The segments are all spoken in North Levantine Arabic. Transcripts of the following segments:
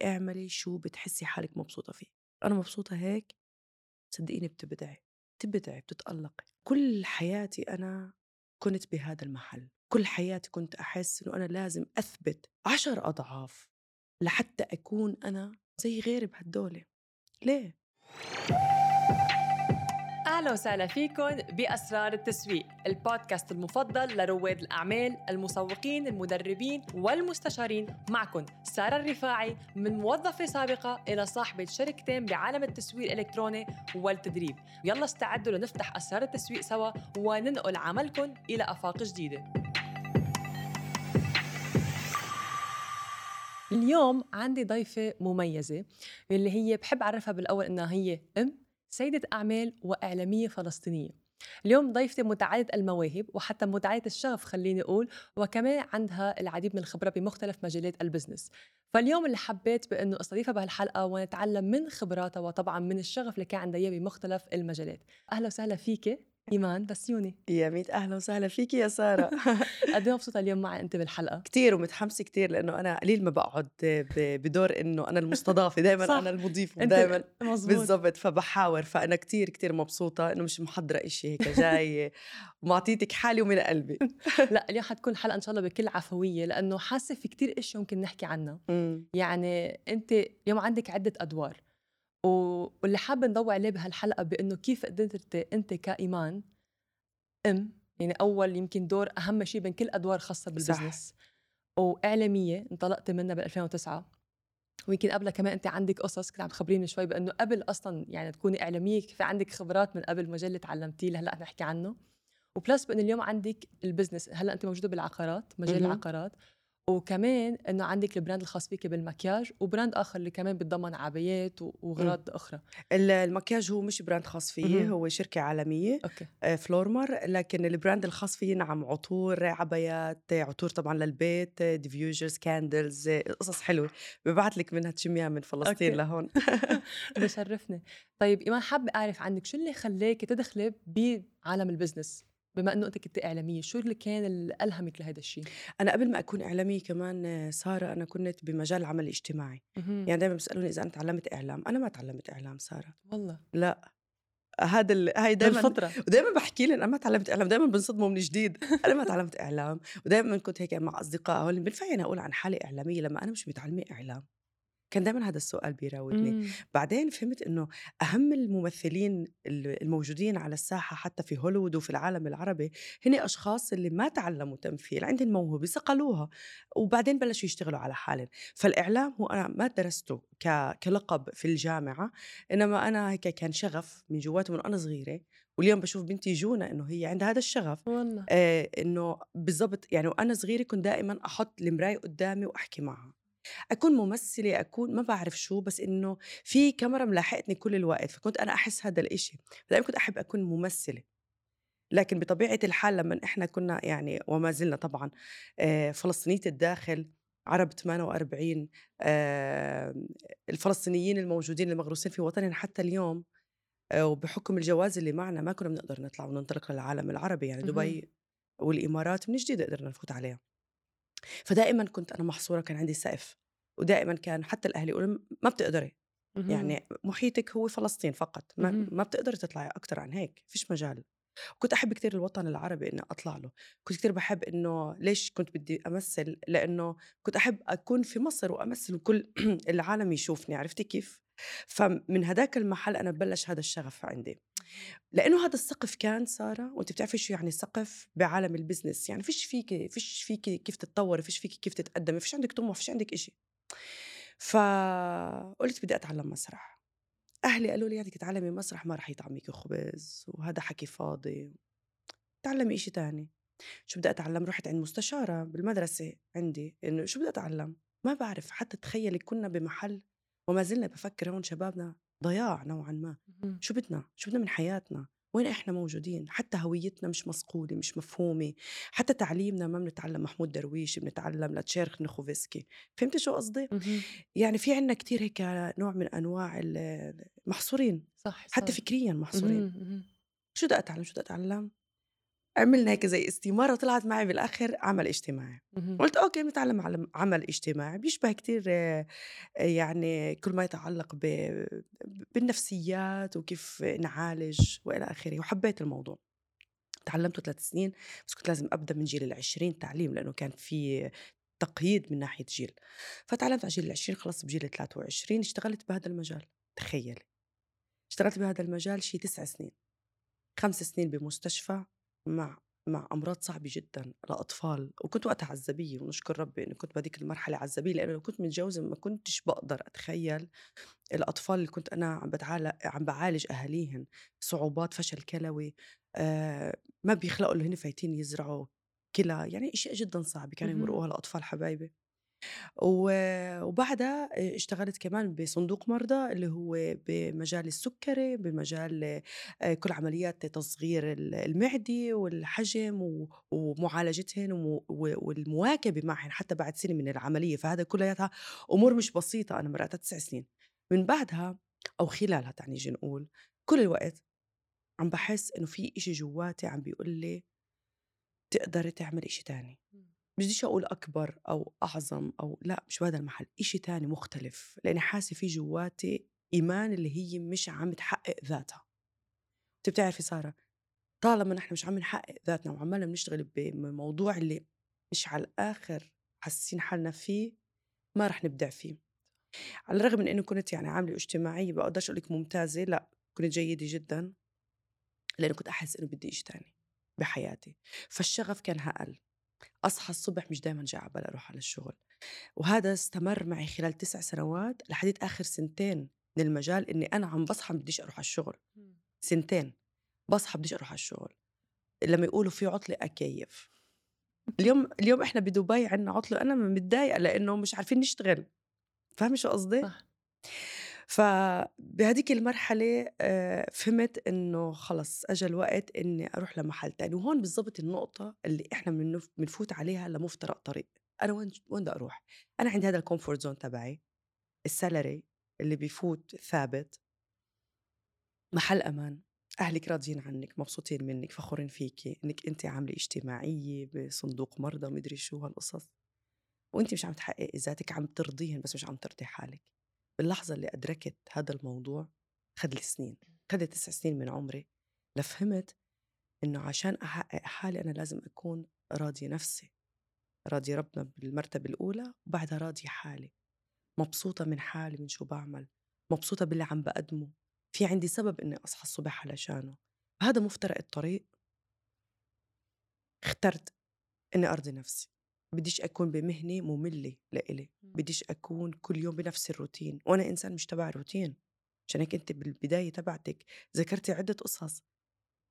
اعملي شو بتحسي حالك مبسوطة فيه. أنا مبسوطة هيك، صدقيني بتبدعي بتتألقي. كل حياتي أنا كنت بهذا المحل، كل حياتي كنت أحس إنه أنا لازم أثبت 10 أضعاف لحتى أكون أنا زي غيري بهالدولة. ليه؟ أهلا وسهلا فيكن بأسرار التسويق، البودكاست المفضل لرواد الأعمال، المسوقين، المدربين والمستشارين. معكن سارة الرفاعي، من موظفة سابقة إلى صاحبة شركتين بعالم التسويق الإلكتروني والتدريب. يلا استعدوا لنفتح أسرار التسويق سوا وننقل عملكن إلى آفاق جديدة. اليوم عندي ضيفة مميزة اللي هي بحب أعرفها بالأول إنها هي سيدة أعمال وإعلامية فلسطينية. اليوم ضيفتي متعددة المواهب وحتى متعددة الشغف خليني أقول، وكمان عندها العديد من الخبرة بمختلف مجالات البزنس. فاليوم اللي حبيت بأنه أستضيفها بهالحلقة ونتعلم من خبراتها وطبعا من الشغف اللي كان عندها بمختلف المجالات. أهلا وسهلا فيك إيمان بسيوني. يا ميت أهلا وسهلا فيكي يا سارة. قد ايه مبسوطة اليوم معي أنت بالحلقة؟ كتير ومتحمسة كتير، لأنه أنا قليل ما بقعد بدور إنه أنا المستضافة، دايما أنا المضيف ودايما بالضبط، فبحاور. فأنا كتير كتير مبسوطة إنه مش محضرة إشي، هيك جاي ومعطيتك حالي ومن قلبي. لا اليوم حتكون حلقة إن شاء الله بكل عفوية، لأنه حاسة في كتير إشي ممكن نحكي عنها. يعني أنت اليوم عندك عدة أدوار، واللي حابة نضوي عليه بهالحلقة بأنه كيف قدرت أنت كإيمان يعني أول يمكن دور أهم شيء بين كل أدوار خاصة بالبزنس. صح. وإعلامية انطلقت منها بال2009، ويمكن قبلها كمان أنت عندك قصص كنت عم تخبريني شوي بأنه قبل أصلاً يعني تكوني إعلامية في عندك خبرات من قبل مجال اللي تعلمتيه اللي هلأ نحكي عنه. وبلس بأن اليوم عندك البزنس، هلأ أنت موجودة بالعقارات، مجال العقارات، وكمان أنه عندك البراند الخاص فيك بالمكياج، وبراند آخر اللي كمان بتضمن عبايات وغراض أخرى. المكياج هو مش براند خاص فيه، هو شركة عالمية. فلورمر. لكن البراند الخاص فيه نعم عطور، عبايات، عطور طبعا للبيت، ديفيوجرز، كاندلز، قصص حلوة ببعت لك منها تشميها من فلسطين لهون. بشرفني. طيب إيمان، حابة أعرف عنك شو اللي خليك تدخلي بعالم البزنس بما أنه أنت كنت إعلامية؟ شو اللي كان اللي ألهمك لهذا الشيء؟ أنا قبل ما أكون إعلامية كمان سارة، أنا كنت بمجال العمل الاجتماعي. يعني دايما بيسألوني إذا أنا تعلمت إعلام. أنا ما تعلمت إعلام سارة والله لا. هاي دايما بالفطرة. ودايما بحكي لهم أنا ما تعلمت إعلام، دايما بنصدموا من جديد. أنا ما تعلمت إعلام. ودايما كنت هيك مع أصدقاء هول بنفع أنا أقول عن حالي إعلامية لما أنا مش متعلمة إعلام. كان دايما هذا السؤال بيراودني. بعدين فهمت إنه أهم الممثلين الموجودين على الساحة حتى في هوليوود وفي العالم العربي هن أشخاص اللي ما تعلموا تمثيل، عندهم موهبة صقلوها وبعدين بلشوا يشتغلوا على حالهم. فالإعلام هو أنا ما درسته كلقب في الجامعة، إنما أنا هيك كان شغف من جواتي من أنا صغيرة. واليوم بشوف بنتي جونا إنه هي عندها هذا الشغف. والله إنه بالضبط. يعني وأنا صغيرة كنت دائما أحط المراية قدامي وأحكي معها، أكون ممثلة، أكون ما بعرف شو، بس إنه في كاميرا ملاحقتني كل الوقت. فكنت أنا أحس هذا الإشي، دائما كنت أحب أكون ممثلة. لكن بطبيعة الحال لما إحنا كنا يعني وما زلنا طبعا فلسطينية الداخل عرب 48، الفلسطينيين الموجودين المغروسين في وطننا حتى اليوم، وبحكم الجواز اللي معنا ما كنا بنقدر نطلع وننطلق للعالم العربي. يعني دبي والإمارات من جديد قدرنا نفوت عليها. فدائما كنت أنا محصورة، كان عندي سقف. ودائما كان حتى الأهل يقولوا ما بتقدري، يعني محيطك هو فلسطين فقط، ما بتقدري تطلعي أكتر عن هيك، فيش مجال. كنت أحب كتير الوطن العربي إني أطلع له. كنت كتير بحب إنه ليش كنت بدي أمثل، لأنه كنت أحب أكون في مصر وأمثل وكل العالم يشوفني. عرفتي كيف؟ فمن هداك المحل أنا بلش هذا الشغف عندي، لأنه هذا السقف كان سارة. وأنت بتعرفي شو يعني سقف بعالم البزنس، يعني فيش فيكي كيف تتطوري، فيش فيكي كيف تتقدمي، فيش عندك طموح، فيش عندك إشي. فقلت بدي أتعلم مسرح. أهلي قالوا لي بدك تتعلمي مسرح ما رح يطعميكي خبز وهذا حكي فاضي، تعلمي إشي تاني. شو بدي أتعلم؟ رحت عند مستشارة بالمدرسة عندي إنه شو بدي أتعلم. ما بعرف حتى. تخيلي كنا بمحل وما زلنا بفكر هون شبابنا ضياع نوعا ما. شو بدنا من حياتنا؟ وين إحنا موجودين؟ حتى هويتنا مش مصقولة، مش مفهومة. حتى تعليمنا ما بنتعلم محمود درويش، بنتعلم لتشيرخ نخوفسكي. فهمتي شو قصدي؟ يعني في عنا كتير هيك نوع من أنواع محصورين. صح حتى فكريا محصورين. شو بدي أتعلم؟ عملنا هيك زي استمارة وطلعت معي بالآخر عمل اجتماعي. قلت أوكي بنتعلم على عمل اجتماعي بيشبه كتير يعني كل ما يتعلق بالنفسيات وكيف نعالج وإلى آخره، وحبيت الموضوع. تعلمته 3 سنين، بس كنت لازم أبدأ من جيل 20 تعليم لأنه كان في تقييد من ناحية جيل. فتعلمت على جيل 20، خلصت بجيل 23، اشتغلت بهذا المجال. تخيلي اشتغلت بهذا المجال شي 9 سنين، 5 سنين بمستشفى مع أمراض صعبة جدا لأطفال، وكنت وقتها عزبية، ونشكر ربي إنه كنت بهذيك المرحلة عزبية، لأنه لو كنت متجوزة ما كنتش بقدر أتخيل الأطفال اللي كنت أنا عم بعالج أهاليهن، صعوبات فشل كلوي، ما بيخلقوا اللي هن فايتين يزرعوا كلى، يعني أشياء جدا صعبة كانوا يمرقوها الأطفال حبايبي. وبعدها اشتغلت كمان بصندوق مرضى اللي هو بمجال السكري، بمجال كل عمليات تصغير المعدة والحجم ومعالجتهن والمواكبة معهن حتى بعد سنة من العملية. فهذا كلها أمور مش بسيطة، أنا مرقتها 9 سنين. من بعدها أو خلالها تعني نجي نقول كل الوقت عم بحس إنه في إشي جواتي عم بيقول لي تقدري تعمل إشي تاني. بديش أقول أكبر أو أعظم أو لا، مش بهذا المحل، إشي تاني مختلف، لأني حاسة في جواتي إيمان اللي هي مش عم تحقق ذاتها. أنت بتعرفي سارة، طالما نحن مش عم نحقق ذاتنا وعمالنا بنشتغل بموضوع اللي مش على الآخر حاسين حالنا فيه، ما رح نبدع فيه. على الرغم من إنه كنت يعني عاملة اجتماعية بقدرش أقولك ممتازة، لا كنت جيدة جدا، لأنه كنت أحس إنه بدي إشي تاني بحياتي. فالشغف كان هقل، أصحى الصبح مش دايما جاي عبالي أروح على الشغل. وهذا استمر معي خلال 9 سنوات لحد آخر 2 من المجال، إني أنا عم بصحى بديش أروح على الشغل. 2 بصحى بديش أروح على الشغل، لما يقولوا في عطلة أكيف. اليوم إحنا بدبي عنا عطلة، أنا متضايقة لأنه مش عارفين نشتغل. فاهمة شو قصدي؟ صح. فبهديك المرحلة فهمت إنه خلص أجا الوقت إني أروح لمحل تاني. وهون بالضبط النقطة اللي إحنا بنفوت عليها لمفترق طريق. أنا وين بدي أروح؟ أنا عندي هذا الكومفورت زون تبعي، السالري اللي بيفوت ثابت، محل أمان، أهلك راضيين عنك، مبسوطين منك، فخورين فيكي إنك أنت عاملة اجتماعية بصندوق مرضى مدري شو هالقصص، وأنت مش عم تحققي ذاتك، عم ترضيهن بس مش عم ترضي حالك. باللحظة اللي أدركت هذا الموضوع خد لي سنين، خد 9 سنين من عمري لفهمت إنه عشان أحقق حالي أنا لازم أكون راضية نفسي، راضية ربنا بالمرتبة الأولى، وبعدها راضية حالي، مبسوطة من حالي، من شو بعمل، مبسوطة باللي عم بقدمه، في عندي سبب إني أصحى الصبح علشانه. هذا مفترق الطريق اخترت إني أرضي نفسي. بديش أكون بمهنة مملة لإلي، بديش أكون كل يوم بنفس الروتين، وأنا إنسان مش تبع روتين. عشان هيك أنت بالبداية تبعتك ذكرتي عدة قصص،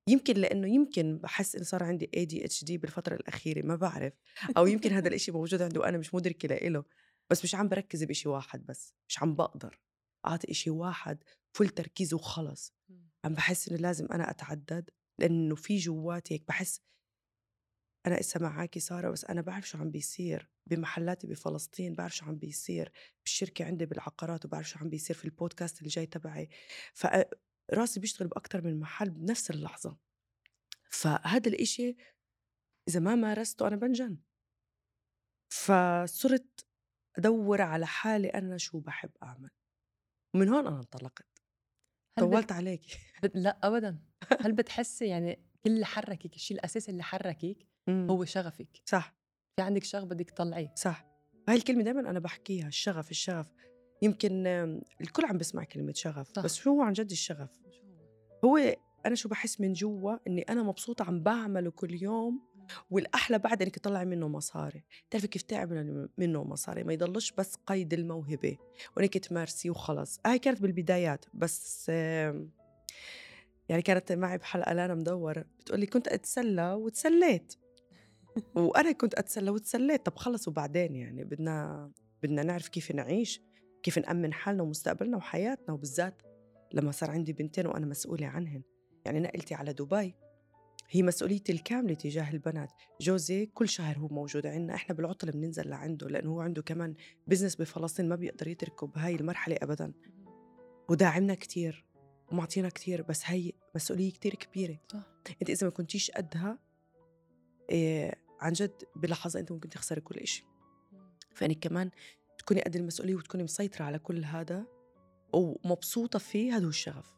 يمكن لأنه يمكن بحس إن صار عندي ADHD بالفترة الأخيرة، ما بعرف، أو يمكن هذا الإشي موجود عنده وأنا مش مدركة لإله، بس مش عم بركز بإشي واحد، بس مش عم بقدر أعطي إشي واحد فل تركيز وخلص. عم بحس إنه لازم أنا أتعدد، لأنه في جواتي هيك بحس. أنا إسا معاكي سارة، بس أنا بعرف شو عم بيصير بمحلاتي بفلسطين، بعرف شو عم بيصير بالشركة عندي بالعقارات، وبعرف شو عم بيصير في البودكاست اللي جاي تبعي. فراسي بيشتغل بأكتر من محل بنفس اللحظة. فهذا الإشي إذا ما مارسته أنا بنجن. فصرت أدور على حالي أنا شو بحب أعمل، ومن هون أنا انطلقت. طولت عليكي. لا أبدا. هل بتحسي يعني كل اللي حركك، الشيء الأساسي اللي حركك هو شغفك؟ صح، في عندك شغف بدك تطلعيه. صح. هاي الكلمة دايما أنا بحكيها، الشغف الشغف. يمكن الكل عم بسمع كلمة شغف، صح. بس شو هو عن جد الشغف؟ هو أنا شو بحس من جوا إني أنا مبسوطة عم بعمله كل يوم، والأحلى بعد إنك تطلعي منه مصاري. تعرفي كيف تعمل منه مصاري؟ ما يضلش بس قيد الموهبة وإنك تمارسيه وخلص. هاي كانت بالبدايات، بس يعني كانت معي بحلقة لانا مدور بتقولي كنت أتسلى وتسليت وأنا كنت أتسلى وتسليت. طب خلص وبعدين يعني بدنا نعرف كيف نعيش، كيف نأمن حالنا ومستقبلنا وحياتنا، وبالذات لما صار عندي بنتين وأنا مسؤولة عنهن. يعني نقلتي على دبي، هي مسؤوليتي الكاملة تجاه البنات. جوزي كل شهر هو موجود عنا، إحنا بالعطلة بننزل لعنده، لأنه هو عنده كمان بزنس بفلسطين ما بيقدر يتركه بهاي المرحلة أبداً، وداعمنا كتير ومعطينا كتير، بس هاي مسؤولية كتير كبيرة. صح. أنت إذا ما كنتيش قدها عن جد بلحظة أنت ممكن تخسري كل إشي. فإنك كمان تكوني قد المسؤولية وتكوني مسيطرة على كل هذا ومبسوطة فيه، هذا هو الشغف.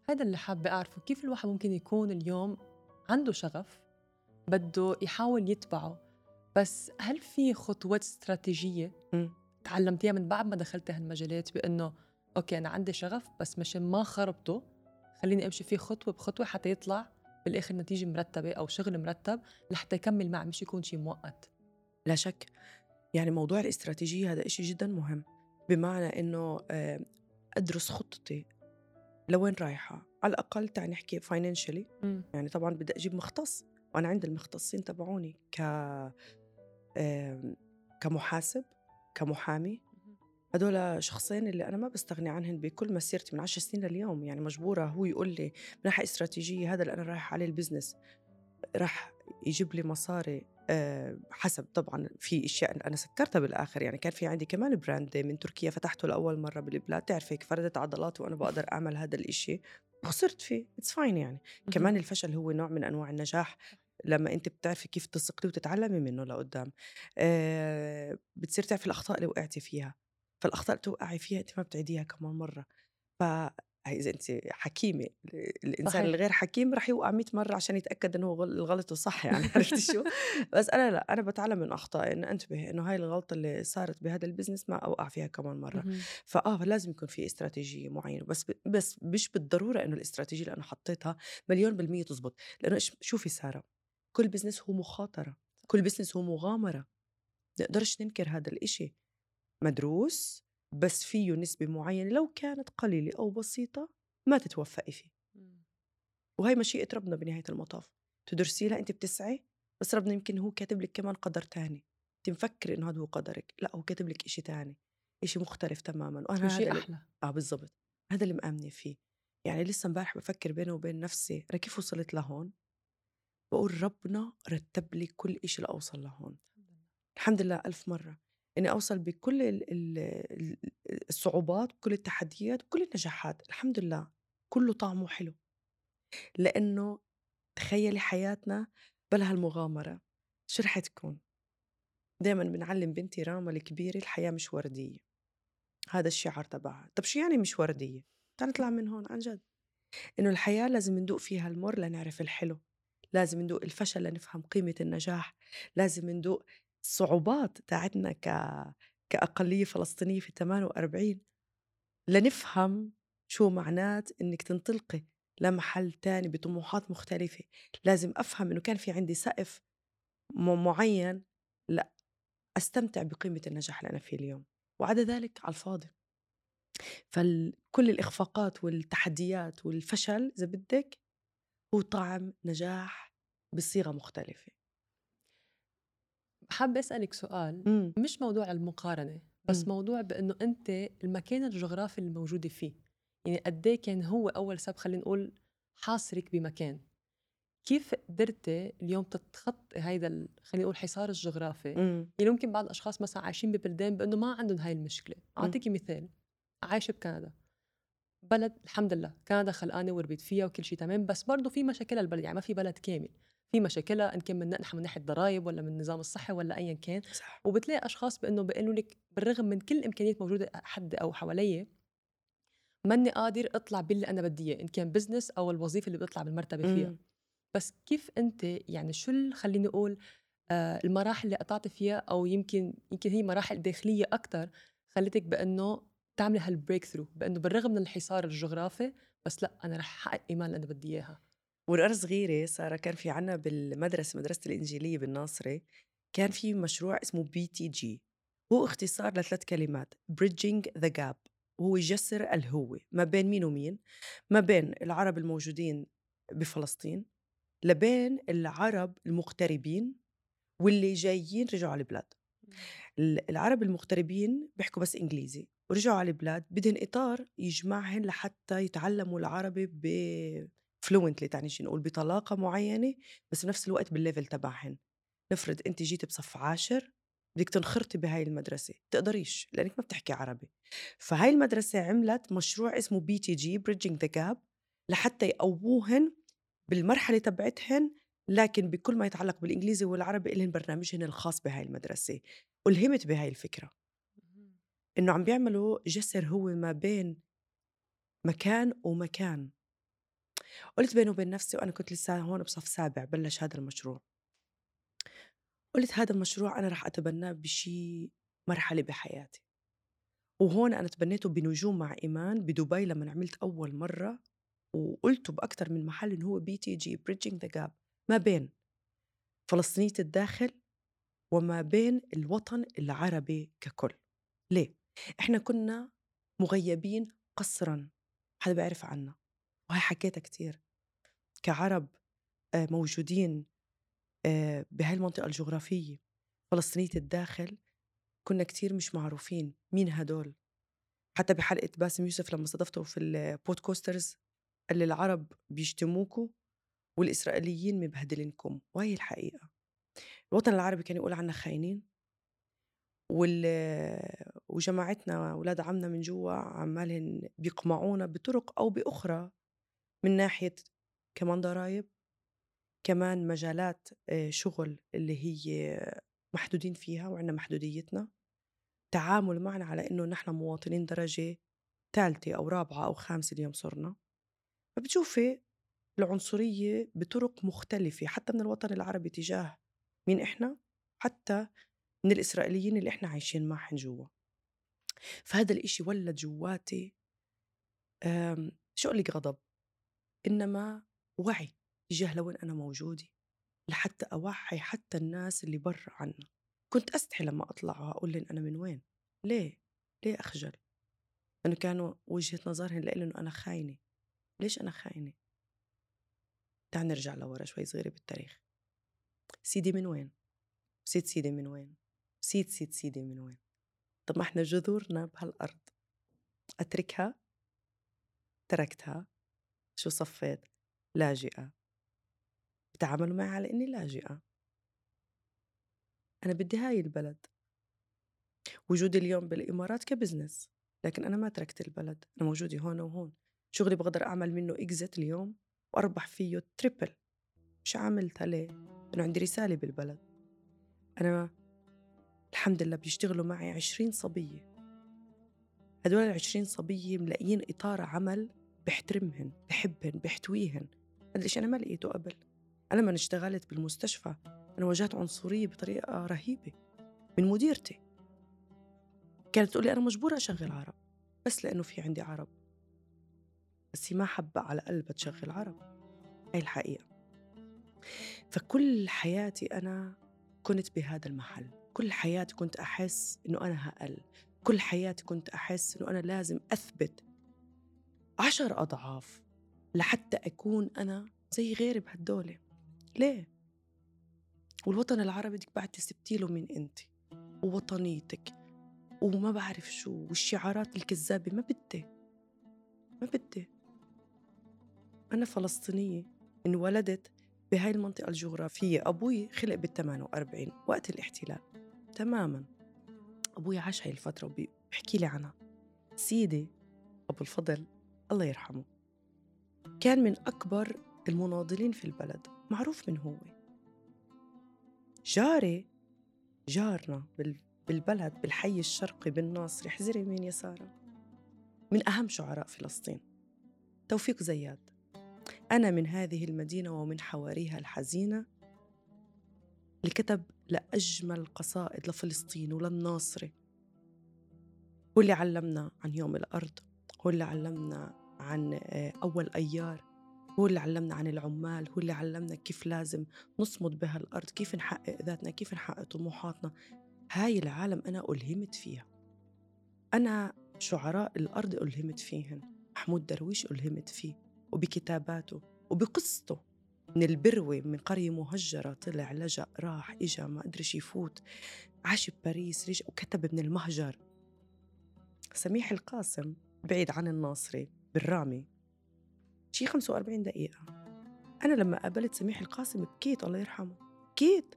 هذا اللي حابة أعرفه، كيف الواحد ممكن يكون اليوم عنده شغف بده يحاول يتبعه، بس هل في خطوات استراتيجية تعلمتيها من بعد ما دخلت هالمجالات بأنه أوكي أنا عندي شغف بس مشان ما خربته خليني أمشي فيه خطوة بخطوة حتى يطلع بالآخر نتيجة مرتبة أو شغل مرتب لحتى يكمل معه مش يكون شيء مؤقت؟ لا شك، يعني موضوع الاستراتيجية هذا إشي جدا مهم، بمعنى إنه أدرس خطتي لوين رايحة، على الأقل تعال نحكي financially. يعني طبعا بدي أجيب مختص، وأنا عند المختصين تبعوني كمحاسب، كمحامي. هدول شخصين اللي أنا ما بستغني عنهن بكل مسيرتي من 10 سنين لليوم. يعني مجبورة هو يقول لي من ناحية استراتيجية هذا اللي أنا رايح عليه البزنس راح يجيب لي مصاري. حسب طبعا في اشياء انا سكرتها بالاخر. يعني كان في عندي كمان براند من تركيا فتحته لاول مره بالبلاد، تعرفي فردت عضلاتي وانا بقدر اعمل هذا الاشي وخسرت فيه. اتس فاين. يعني كمان الفشل هو نوع من انواع النجاح لما انت بتعرفي كيف تسقطي وتتعلمي منه لقدام. بتصير تعرفي الاخطاء اللي وقعتي فيها، فالاخطاء اللي توقعي فيها انت ما بتعيديها كمان مره. إذا أنت حكيمة، الإنسان صحيح. الغير حكيم رح يوقع 100 مرة عشان يتأكد إنه الغلط صح. يعني عرفتي شو؟ بس أنا لا، أنا بتعلم من أخطائي إنه أنتبه إنه هاي الغلطة اللي صارت بهذا البزنس ما أوقع فيها كمان مرة. لازم يكون في استراتيجية معينة، بس مش بالضرورة إنه الاستراتيجية اللي أنا حطيتها 100% تزبط. لأنه شوفي سارة، كل بزنس هو مخاطرة، كل بزنس هو مغامرة. نقدرش ننكر هذا الإشي، مدروس، بس فيه نسبة معينة لو كانت قليلة أو بسيطة ما تتوفقي فيه. وهي مشيئة ربنا بنهاية المطاف، تدرسي لها أنت بتسعي، بس ربنا يمكن هو كاتب لك كمان قدر تاني. أنت مفكر إنه هذا هو قدرك، لا هو كاتب لك إشي تاني، إشي مختلف تماما. وأنا هذا شيء أحلى. بالضبط، هذا اللي مأمنة فيه. يعني لسه امبارح بفكر بيني وبين نفسي أنا كيف وصلت لهون، بقول ربنا رتب لي كل إشي لأوصل لهون. الحمد لله ألف مرة إني أوصل بكل الصعوبات، بكل التحديات، بكل النجاحات. الحمد لله كله طعمه حلو. لأنه تخيلي حياتنا بلا هالمغامرة شو رح تكون؟ دايما بنعلم بنتي راما الكبيرة الحياة مش وردية، هذا الشعار تبعها. طب شو يعني مش وردية؟ تعال نطلع من هون عن جد. إنه الحياة لازم ندوق فيها المر لنعرف الحلو، لازم ندوق الفشل لنفهم قيمة النجاح، لازم ندوق الصعوبات تاعتنا كأقلية فلسطينية في 48 لنفهم شو معنات إنك تنطلقي لمحل تاني بطموحات مختلفة. لازم أفهم إنه كان في عندي سقف معين، لا أستمتع بقيمة النجاح اللي أنا فيه اليوم، وعدا ذلك على الفاضي. فكل الإخفاقات والتحديات والفشل إذا بدك هو طعم نجاح بصيغة مختلفة. حابة أسألك سؤال، مش موضوع المقارنة بس موضوع بأنه أنت المكان الجغرافي اللي موجودة فيه، يعني قديه كان هو أول سبب خلينا نقول حاصرك بمكان. كيف قدرتي اليوم تتخطي هيدا خلينا نقول حصار الجغرافي؟ يعني ممكن بعض الأشخاص مثلا عايشين ببلدان بأنه ما عندهم هاي المشكلة. أعطيكي مثال، عايشة بكندا، بلد الحمد لله كندا خلقانة وربيت فيها وكل شيء تمام، بس برضو في مشاكلها البلد، يعني ما في بلد كامل، في مشاكلها إن كان من ناحية ضرائب ولا من النظام الصحي ولا أيا كان. صح. وبتلاقي أشخاص بأنه بيقولوا لك بالرغم من كل الإمكانيات موجودة حد أو حواليه ماني قادر أطلع باللي أنا بدي إياه، إن كان بزنس أو الوظيفة اللي بيطلع بالمرتبة فيها. بس كيف أنت يعني شو خليني أقول المراحل اللي قطعت فيها، أو يمكن هي مراحل داخلية أكتر خلتك بأنه تعمل هالبريك ثرو، بأنه بالرغم من الحصار الجغرافي بس لا أنا رح أحقق إيمان اللي أنا بدي إياها؟ وأنا صغيرة سارة كان في عنا بالمدرسة، مدرسة الإنجيلية بالناصري، كان في مشروع اسمه BTG، هو اختصار ل3 كلمات Bridging the Gap. وهو يجسر الهوة ما بين مين ومين، ما بين العرب الموجودين بفلسطين لبين العرب المغتربين واللي جايين رجعوا على البلاد. العرب المغتربين بيحكوا بس إنجليزي ورجعوا على البلاد، بدهن إطار يجمعهن لحتى يتعلموا العربي فلوينتلي، تعني شي نقول بطلاقة معينة، بس بنفس الوقت بالليفل تبعهن. نفرض أنت جيت بصف 10 بدك تنخرطي بهاي المدرسة، تقدريش لأنك ما بتحكي عربي. فهاي المدرسة عملت مشروع اسمه BTG Bridging the Gap لحتى يقووهن بالمرحلة تبعتهن لكن بكل ما يتعلق بالإنجليزي والعربي إلهن برنامجهن الخاص بهاي المدرسة. ألهمت بهاي الفكرة إنه عم بيعملوا جسر هو ما بين مكان ومكان. قلت بيني وبين نفسي، وأنا كنت لسه هون بصف سابع بلش هذا المشروع، قلت هذا المشروع أنا رح أتبناه بشي مرحلة بحياتي. وهون أنا تبنيته بنجوم مع إيمان بدبي لما عملت أول مرة، وقلته بأكتر من محل إنه هو BTG Bridging the Gap ما بين فلسطينية الداخل وما بين الوطن العربي ككل. ليه؟ إحنا كنا مغيبين قسراً، حدا بيعرف عنا، وهي حكيتها كتير كعرب موجودين بهاي المنطقة الجغرافية. فلسطينية الداخل كنا كتير مش معروفين مين هدول. حتى بحلقة باسم يوسف لما استضفته في البودكوسترز قال لي العرب بيشتموكوا والإسرائيليين مبهدلينكم، وهي الحقيقة. الوطن العربي كان يقول عنا خاينين، وجماعتنا ولاد عمنا من جوا عمالهم بيقمعونا بطرق أو بأخرى، من ناحية كمان ضرايب، كمان مجالات شغل اللي هي محدودين فيها وعنا محدوديتنا، تعامل معنا على إنه نحن مواطنين درجة ثالثة أو رابعة أو خامسة اليوم صرنا. فبتشوفي العنصرية بطرق مختلفة حتى من الوطن العربي تجاه مين إحنا، حتى من الإسرائيليين اللي إحنا عايشين معهم جوا. فهذا الإشي ولد جواتي شو أقول لك غضب، إنما وعي تجاه لوين أنا موجودة، لحتى أوعي حتى الناس اللي برا عنا. كنت أستحي لما أطلع وأقول لهم أنا من وين. ليه أخجل؟ لأنه كانوا وجهة نظرهم لإلي إنه أنا خاينة. ليش أنا خاينة؟ تعال نرجع لورا شوي صغيرة بالتاريخ. سيدي من وين؟ سيد سيدي من وين؟ سيد سيدي من وين؟ طب ما احنا جذورنا بهالأرض. أتركها؟ تركتها. شو صفيت؟ لاجئة. بتعاملوا معي على إني لاجئة. أنا بدي هاي البلد. وجودي اليوم بالإمارات كبزنس، لكن أنا ما تركت البلد، أنا موجودة هون وهون. شغلي بقدر أعمل منه إكزت اليوم وأربح فيه تريبل. مش عاملتها ليه؟ أنا عندي رسالة بالبلد. أنا الحمد لله بيشتغلوا معي 20 صبية. هدول 20 صبية ملاقيين إطار عمل بحترمهن، بحبهن، بحتويهن. هذا الشيء أنا ما لقيته قبل. أنا لما اشتغلت بالمستشفى أنا واجهت عنصرية بطريقة رهيبة من مديرتي. كانت تقولي أنا مجبورة أشغل عرب بس لأنه في عندي عرب، بس هي ما حابة على قلبها تشغل عرب. هاي الحقيقة. فكل حياتي أنا كنت بهذا المحل، كل حياتي كنت أحس إنه أنا هقل، كل حياتي كنت أحس إنه أنا لازم أثبت 10 أضعاف لحتى أكون أنا زي غيري بهالدولة. ليه؟ والوطن العربي بدك بعد تثبتيله من أنت ووطنيتك وما بعرف شو والشعارات الكذابة. ما بدي. أنا فلسطينية، انولدت بهاي المنطقة الجغرافية. أبوي خلق بال48 وقت الاحتلال تماماً. أبوي عاش هاي الفترة وبيحكي لي عنها. سيدي أبو الفضل الله يرحمه كان من أكبر المناضلين في البلد، معروف من هو. جارنا بالبلد بالحي الشرقي بالناصري، احذري من يساره، من أهم شعراء فلسطين، توفيق زياد. أنا من هذه المدينة ومن حواريها الحزينة، اللي كتب لأجمل قصائد لفلسطين وللناصري. هو اللي علمنا عن يوم الأرض، هو اللي علمنا عن أول أيار، هو اللي علمنا عن العمال، هو اللي علمنا كيف لازم نصمد بها الأرض، كيف نحقق ذاتنا، كيف نحقق طموحاتنا. هاي العالم أنا ألهمت فيها. أنا شعراء الأرض ألهمت فيهن. محمود درويش ألهمت فيه وبكتاباته وبقصته، من البروة، من قرية مهجرة، طلع لجأ راح إجا ما أدري يفوت، عاش بباريس، رجع وكتب من المهجر. سميح القاسم بعيد عن الناصري بالرامي شي 45 دقيقة. أنا لما قابلت سميح القاسم بكيت، الله يرحمه، بكيت.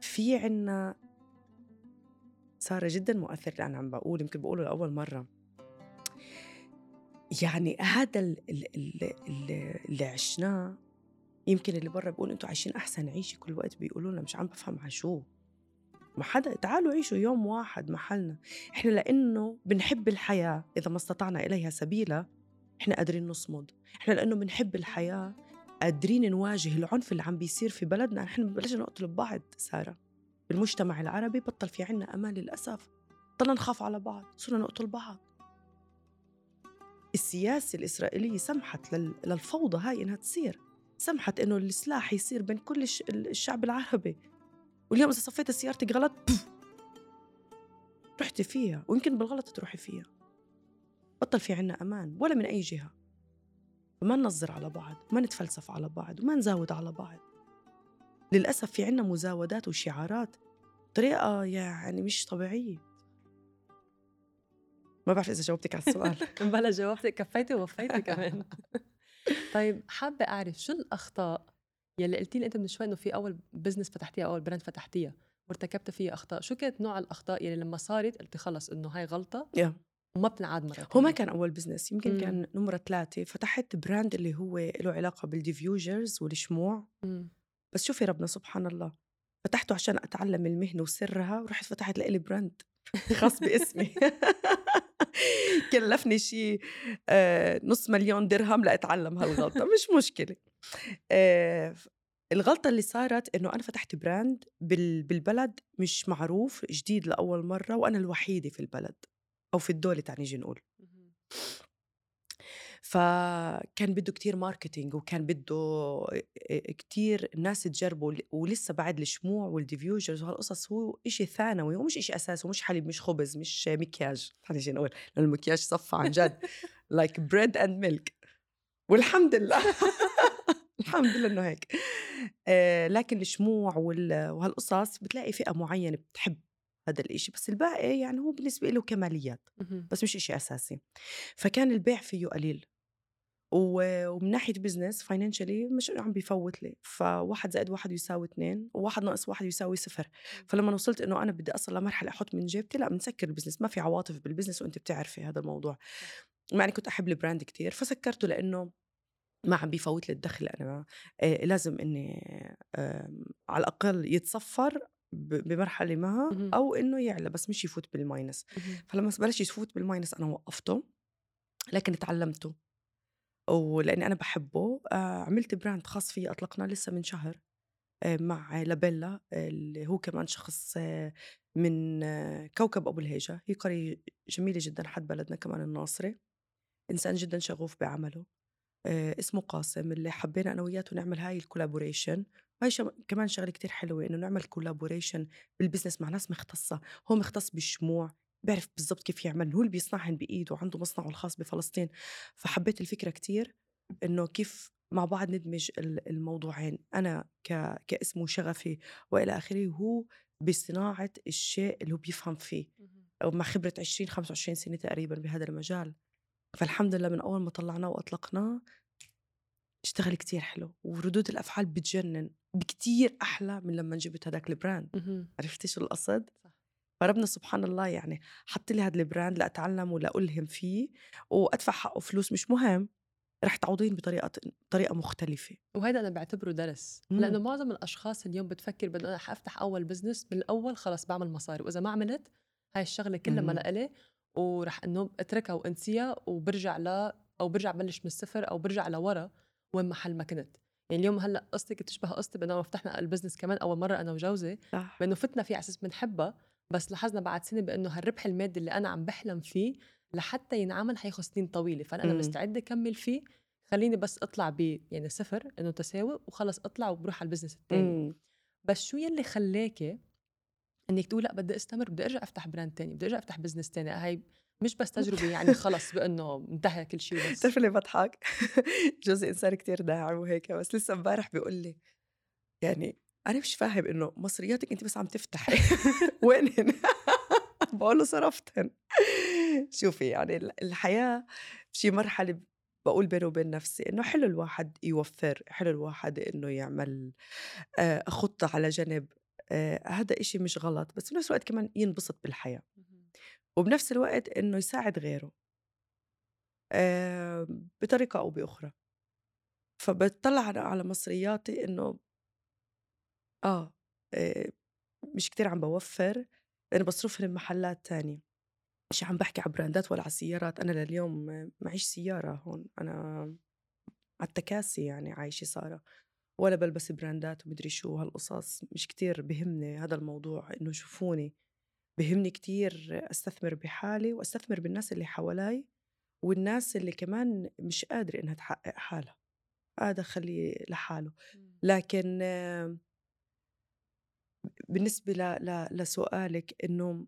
في عنا صار جدا مؤثر، لأن عم بقول يمكن بقوله لأول مرة، يعني هذا اللي عشناه. يمكن اللي برا بيقول أنتوا عايشين أحسن عيشة كل وقت، بيقولوا لنا مش عم بفهم على شو. ما حدا، تعالوا عيشوا يوم واحد محلنا. إحنا لأنه بنحب الحياة إذا ما استطعنا إليها سبيلا إحنا قادرين نصمد. إحنا لأنه بنحب الحياة قادرين نواجه العنف اللي عم بيصير في بلدنا. إحنا بلشنا نقتل ببعض سارة. بالمجتمع العربي بطل في عنا أمان للأسف، بطلنا نخاف على بعض، صرنا نقتل بعض. السياسة الإسرائيلية سمحت للفوضى هاي إنها تصير، سمحت إنه السلاح يصير بين كل الشعب العربي. واليوم إذا صفيت سيارتك غلط رحتي فيها، ويمكن بالغلط تروحي فيها. بطل في عنا أمان ولا من أي جهة. وما ننظر على بعض، ما نتفلسف على بعض، وما نزاود على بعض. للأسف في عنا مزاودات وشعارات طريقة يعني مش طبيعية. ما بعرف إذا جاوبتك على السؤال. بلا جاوبتك، كفيتي ووفيتي كمان. طيب حابة أعرف شو الأخطاء يلي قلتي لي أنت من شوي إنه في أول بزنس فتحتيها، أول براند فتحتيها وارتكبت فيها أخطاء، شو كانت نوع الأخطاء يلي لما صارت قلتي خلص إنه هاي غلطة وما بتنعاد مرة تانية؟ هو ما كان أول بزنس، يمكن كان نمرة 3. فتحت براند اللي هو له علاقة بالديفيوجرز والشموع. بس شوفي ربنا سبحان الله، فتحته عشان أتعلم المهنة وسرها، ورحت فتحت لإلي براند خاص باسمي. كلفني شيء $500,000 لأتعلم هالغلطة. مش مشكلة. الغلطة اللي صارت إنه أنا فتحت براند بالبلد مش معروف، جديد لأول مرة، وأنا الوحيدة في البلد أو في الدولة تعني نيجي نقول. فكان بده كتير ماركتينج، وكان بده كتير ناس تجربوا. ولسه بعد الشموع والديفيوجرز وهالقصص هو إشي ثانوي، ومش إشي أساسي، ومش حليب، مش خبز، مش مكياج. نيجي نقول المكياج صفى عن جد like bread and milk. والحمد لله. الحمد لله إنه هيك. لكن الشموع وهالقصص بتلاقي فئة معينة بتحب هذا الإشي، بس الباقي يعني هو بالنسبة له كماليات، بس مش إشي أساسي. فكان البيع فيه قليل، ومن ناحية بزنس فاينانشالي مش عم بيفوت لي. فواحد زائد واحد يساوي 2، وواحد ناقص واحد يساوي 0. فلما وصلت إنه أنا بدي أصل لمرحلة أحط من جيبتي، لا بنسكر البزنس. ما في عواطف بالبزنس، وأنت بتعرفي هذا الموضوع. يعني كنت أحب البراند كتير، فسكرته لأنه ما عم بيفوت لي الدخل. أنا لازم إني على الأقل يتصفر بمرحلة ما، أو إنه يعلى بس مش يفوت بالماينس. فلما بلش يفوت بالماينس أنا وقفته، لكن تعلمته. ولأني أنا بحبه عملت براند خاص فيه، أطلقنا لسه من شهر مع لابيلا، اللي هو كمان شخص من كوكب أبو الهيجة. هي قرية جميلة جدا، حد بلدنا كمان الناصري، إنسان جدا شغوف بعمله. اسمه قاسم، اللي حبينا أنا وياته نعمل هاي الكولابوريشن. وهي كمان شغلة كتير حلوة، إنه نعمل كولابوريشن بالبزنس مع ناس مختصة. هو مختص بالشموع، بيعرف بالضبط كيف يعمل، هو اللي بيصنعهن بإيده، وعنده مصنعه الخاص بفلسطين. فحبيت الفكرة كتير، إنه كيف مع بعض ندمج الموضوعين، أنا كاسم وشغفي وإلى آخره، وهو بصناعة الشيء اللي هو بيفهم فيه، أو مع خبرة 20-25 سنة تقريبا بهذا المجال. فالحمد لله من أول ما طلعناه وأطلقناه اشتغل كتير حلو، وردود الأفعال بتجنن، بكتير أحلى من لما جبت هداك البراند. عرفتي شو القصد؟ فربنا سبحان الله يعني حط لي هذا البراند لأتعلم ولا ألهم فيه، وأدفع حقه فلوس مش مهم، رح تعوضين بطريقة مختلفة. وهذا أنا بعتبره درس، لأنه معظم الأشخاص اليوم بتفكر بدأ أنا حأفتح أول بزنس من الأول، خلاص بعمل مصاري، وإذا ما عملت هاي الشغلة كلها ما لإلي، ورح إنه أتركها وأنسيها، وبرجع أو برجع بلش من الصفر، أو برجع لورا وين محل ما كنت. يعني اليوم هلا قصتك تشبه قصتي، بأنه فتحنا البزنس كمان أول مرة أنا وجوزي، بأنه فتنا فيه على أساس بنحبها، بس لاحظنا بعد سنة بأنه هالربح المادي اللي أنا عم بحلم فيه لحتى ينعمل حياخد سنين طويلة، فأنا مستعدة أكمل فيه. خليني بس أطلع يعني 0 إنه تساوي، وخلص أطلع وبروح على البزنس التاني. بس شو يلي خلاكي إنك تقول لا بدي استمر، بدي أرجع أفتح براند تاني، بدي أرجع أفتح بزنس تاني؟ هاي مش بس تجربة يعني خلص بأنه انتهى كل شيء. بس تعرف اللي بضحك؟ جوزي إنسان كتير داعم وهيك، بس لسه امبارح بيقول لي يعني أنا مش فاهم إنه مصرياتك أنت بس عم تفتحي وينهن؟ بقول له صرفتهن. شوفي يعني الحياة شي مرحلة بقول بيني وبين نفسي إنه حلو الواحد يوفر، حلو الواحد إنه يعمل خطة على جنب. هذا إشي مش غلط، بس بنفس الوقت كمان ينبسط بالحياة، وبنفس الوقت إنه يساعد غيره. بطريقة أو بأخرى. فبتطلع على مصرياتي إنه آه مش كتير عم بوفر لأنه بصرفهم بمحلات تانية. مش عم بحكي على براندات ولا على سيارات. أنا لليوم معيش سيارة هون، أنا على التكاسي يعني عايشة صارة، ولا بلبس براندات ومدري شو هالقصص. مش كتير بهمني هذا الموضوع إنه يشوفوني. بهمني كتير أستثمر بحالي وأستثمر بالناس اللي حوالي، والناس اللي كمان مش قادرة إنها تحقق حالها هذا خليه لحاله. لكن بالنسبة لسؤالك إنه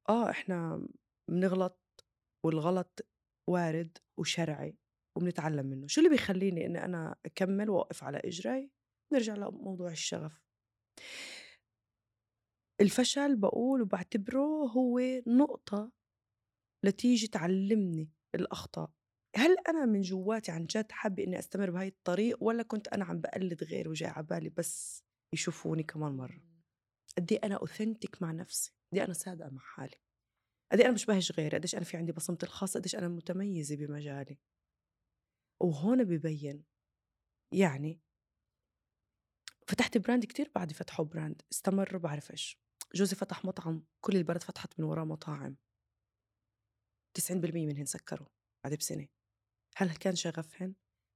إحنا بنغلط، والغلط وارد وشرعي وبنتعلم منه. شو اللي بيخليني إني أنا أكمل وأوقف على إجري؟ نرجع لموضوع الشغف. الفشل بقول وبعتبره هو نقطة لتيجي تعلمني الأخطاء. هل أنا من جواتي عن جد حابة إني أستمر بهاي الطريق، ولا كنت أنا عم بقلد غير وجاي عبالي بس يشوفوني كمان مرة؟ قدي أنا أوثنتك مع نفسي، قدي أنا صادقة مع حالي، قدي أنا مش بهج غيري، قديش أنا في عندي بصمتي الخاصة، قديش أنا متميزة بمجالي. وهون ببين يعني فتحت براند كتير بعد فتحوا براند استمر. بعرف إيش، جوزي فتح مطعم كل البلد فتحت من وراه مطاعم، 90% منهن سكروا بعد بسنة. هل كان شغفهن؟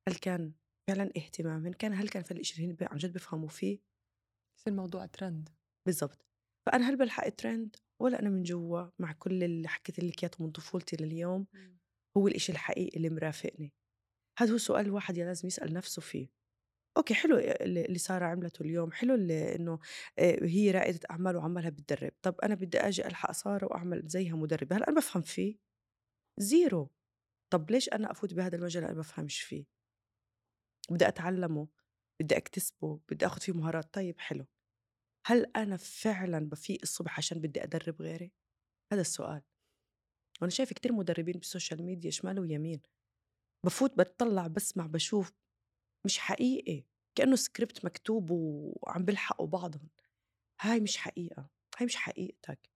هل كان فعلا اهتمامهن؟ هل كان في الإشي اللي هن عن جد بفهموا فيه؟ يصير الموضوع ترند. بالضبط. فأنا هل بلحق ترند، ولا أنا من جوا مع كل اللي حكيت لك إياه من طفولتي لليوم هو الإشي الحقيقي اللي مرافقني؟ هذا هو سؤال الواحد لازم يسأل نفسه فيه. أوكي حلو اللي سارة عملته اليوم، حلو إنه هي رائدة أعمال وعمالها بتدرب. طب أنا بدي أجي ألحق سارة وأعمل زيها مدربة، هل أنا بفهم فيه؟ زيرو. طب ليش أنا أفوت بهذا المجال أنا بفهمش فيه؟ بدي أتعلمه، بدي أكتسبه، بدي أخذ فيه مهارات. طيب حلو، هل أنا فعلا بفيق الصبح عشان بدي أدرب غيري؟ هذا السؤال. وأنا شايف كتير مدربين بالسوشيال ميديا شمال ويمين، بفوت بتطلع بسمع بشوف مش حقيقي، كأنه سكريبت مكتوب وعم بلحقوا بعضهم. هاي مش حقيقة، هاي مش حقيقتك.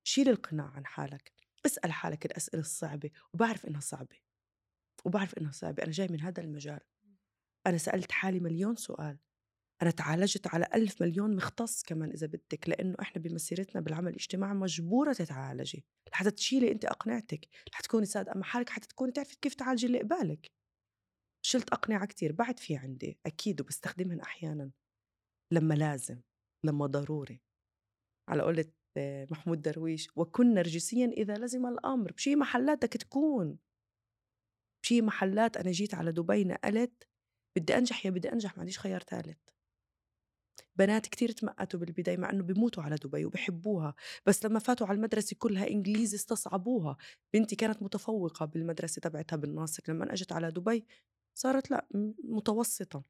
شيل القناع عن حالك، اسأل حالك الأسئلة الصعبة. وبعرف إنها صعبة، أنا جاي من هذا المجال، أنا سألت حالي مليون سؤال، أنا تعالجت على 1000 مليون مختص كمان إذا بدك، لأنه إحنا بمسيرتنا بالعمل الاجتماعي مجبورة تتعالجي لحتى تشيلي أنت أقنعتك، لحتى تكوني صادقة مع حالك، حتى تكوني تعرفي كيف تعالجي اللي قبالك. شلت أقنعة كتير بعد في عندي أكيد، وبستخدمهن أحيانا لما لازم، لما ضروري. على قولة محمود درويش، وكن نرجسيا إذا لزم الأمر. بشي محلات بدك تكون، بشي محلات. أنا جيت على دبي نقلت، بدي أنجح يا بدي أنجح، ما عنديش خيار ثالث. بنات كتير تمقتوا بالبداية مع أنه بيموتوا على دبي وبيحبوها، بس لما فاتوا على المدرسة كلها إنجليزي استصعبوها. بنتي كانت متفوقة بالمدرسة تبعتها بالناصر، لما أجت على دبي صارت لا متوسطة.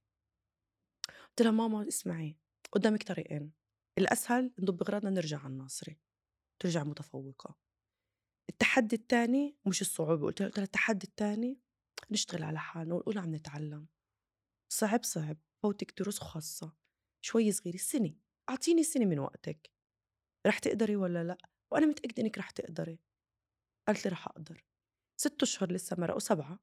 قلت لها ماما اسمعي، قدامك طريقين، الأسهل نضب أغراضنا نرجع على الناصري ترجع متفوقة. التحدي الثاني مش الصعوبة، قلت لها التحدي الثاني نشتغل على حالنا ونقول عم نتعلم. صعب فوتك دروس خاصة شوي صغيرة، سنة، أعطيني سنة من وقتك، رح تقدري ولا لا؟ وأنا متأكدة إنك رح تقدري. قالت لي رح أقدر. 6 أشهر لسه مرقوا 7.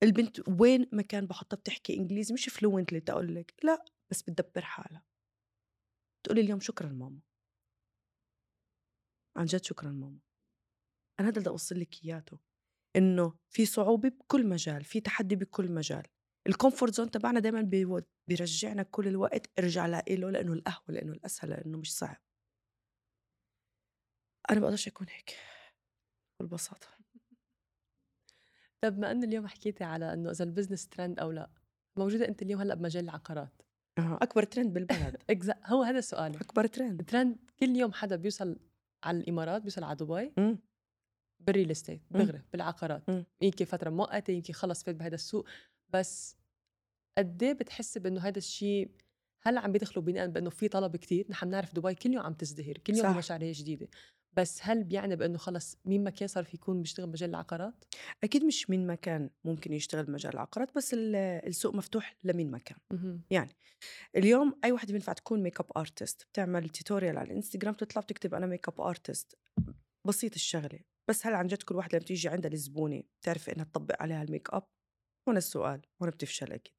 البنت وين ما كان بحطها بتحكي إنجليزي، مش فلوينت اللي تقول لك لا، بس بتدبر حالها. تقولي اليوم شكرا ماما، عن جد شكرا ماما. أنا هذا اللي أوصل لك إياته، إنه في صعوبة بكل مجال، في تحدي بكل مجال. الكومفورت زون تبعنا دايما بيرجعنا كل الوقت ارجع له، لأنه القهوة، لأنه الأسهل، لأنه مش صعب. أنا بقدرش أكون هيك بالبساطة. طب ما أن اليوم حكيتي على إنه إذا البزنس ترند أو لا، موجودة أنت اليوم هلأ بمجال العقارات. أكبر ترند بالبلد. هو هذا سؤالي. أكبر ترند. ترند كل يوم حدا بيوصل على الإمارات، بيوصل على دبي مم. بالريل استيت دغري بالعقارات. مم. يمكن فترة مؤقتة، يمكن خلص فات بهذا السوق. بس قد ايه بتحسي بانه هذا الشيء هلا عم بيدخلوا بناء بانه في طلب كتير؟ نحن بنعرف دبي كل يوم عم تزدهر، كل يوم في صح. مشاريع جديده. بس هل بيعني بانه خلص مين ما كان صار في يكون بيشتغل مجال العقارات؟ أكيد مش من مكان ممكن يشتغل بمجال العقارات، بس السوق مفتوح لمين مكان. يعني اليوم أي واحد بينفع تكون ميك اب ارتست، بتعمل توتوريال على الانستغرام، تطلع بتكتب أنا ميك اب ارتست، بسيط الشغلة. بس هل عن جد كل واحدة لما تيجي عندها الزبونة بتعرف إنها تطبق عليها الميك اب؟ هنا السؤال، هنا بتفشل أكيد.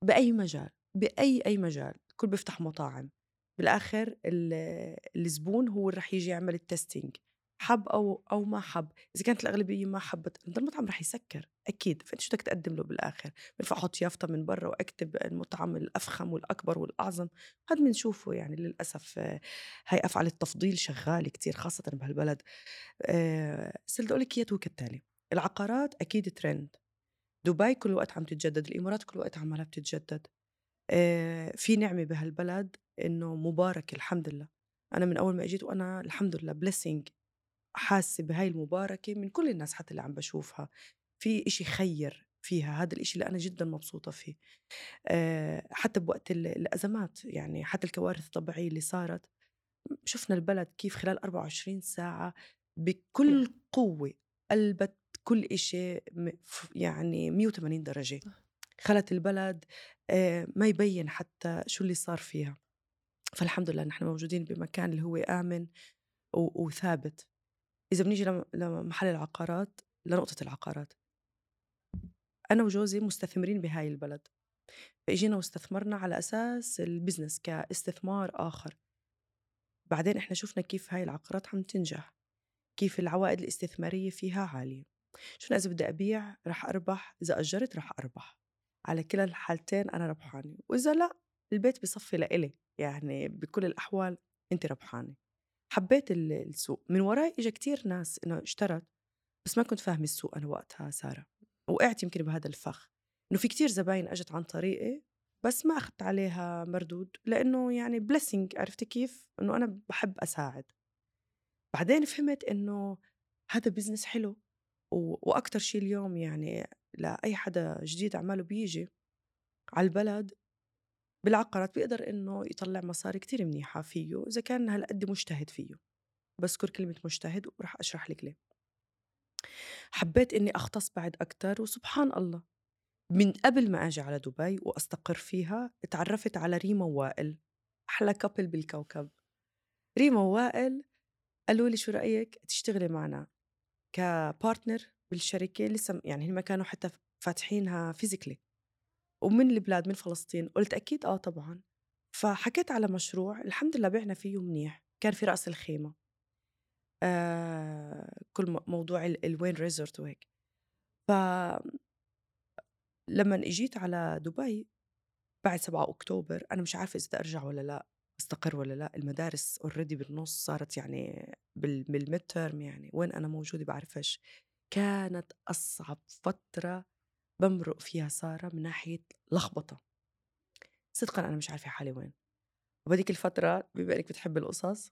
بأي مجال، بأي مجال، الكل بيفتح مطاعم، بالآخر الزبون هو اللي رح يجي يعمل التستينج، حب أو ما حب. إذا كانت الأغلبية ما حبت المطعم رح يسكر أكيد. فأنت شو بدك تقدم له بالآخر؟ بنفع أحط يافطة من برا وأكتب المطعم الأفخم والأكبر والأعظم؟ هاد بنشوفه يعني للأسف. هاي أفعال التفضيل شغالة كتير خاصة بهالبلد. بس بدي أقول لك إياه كالتالي: العقارات أكيد ترند. دبي كل وقت عم تتجدد، الإمارات كل وقت عمالها بتتجدد. في نعمة بهالبلد إنه مبارك الحمد لله. أنا من أول ما أجيت وأنا الحمد لله blessing، حاسة بهاي المباركة من كل الناس حتى اللي عم بشوفها. في إشي خير فيها، هذا الإشي اللي أنا جدا مبسوطة فيه. حتى بوقت الأزمات، يعني حتى الكوارث الطبيعية اللي صارت، شفنا البلد كيف خلال 24 ساعة بكل قوة قلبت كل إشي يعني 180 درجة. خلت البلد ما يبين حتى شو اللي صار فيها. فالحمد لله نحن موجودين بمكان اللي هو آمن وثابت. إذا بنيجي لمحل العقارات، لنقطة العقارات، أنا وجوزي مستثمرين بهاي البلد، فإجينا واستثمرنا على أساس البزنس كاستثمار آخر. بعدين إحنا شفنا كيف هاي العقارات عم تنجح، كيف العوائد الاستثمارية فيها عالية. شو إذا بدي أبيع رح أربح، إذا أجرت رح أربح، على كلا الحالتين أنا ربحانة، وإذا لا البيت بصفي لإلي، يعني بكل الأحوال أنت ربحانة. حبيت السوق. من وراي إجا كتير ناس إنه اشترت، بس ما كنت فاهمة السوق أنا وقتها سارة. وقعت يمكن بهذا الفخ إنه في كتير زباين أجت عن طريقي بس ما أخذت عليها مردود، لأنه يعني blessing، عرفتي كيف إنه أنا بحب أساعد. بعدين فهمت إنه هذا بزنس حلو. وأكتر شيء اليوم يعني لأي حدا جديد عماله بيجي على البلد بالعقارات بيقدر إنه يطلع مصاري كتير منيحة فيه إذا كان هالقد مجتهد فيه. بذكر كلمة مجتهد ورح أشرح لك ليه. حبيت إني أختص بعد أكتر، وسبحان الله من قبل ما أجي على دبي وأستقر فيها تعرفت على ريما ووائل، أحلى كابل بالكوكب. ريما ووائل قالوا لي شو رأيك تشتغلي معنا كبارتنر بالشركة. لسه يعني هم كانوا حتى فاتحينها فيزيكلي ومن البلاد، من فلسطين. قلت أكيد طبعا. فحكيت على مشروع الحمد لله بعنا فيه منيح. كان في رأس الخيمة، كل موضوع الوين ريزورت وهيك. فلما اجيت على دبي بعد 7 أكتوبر أنا مش عارفة إذا بدي أرجع ولا لا، استقر ولا لا. المدارس اوريدي بالنص صارت يعني بالميد تيرم، يعني وين أنا موجودة بعرفش. كانت أصعب فترة بمرق فيها سارة من ناحية لخبطة. صدقا أنا مش عارفة حالي وين. وبديك الفترة بما إنك بتحب القصص،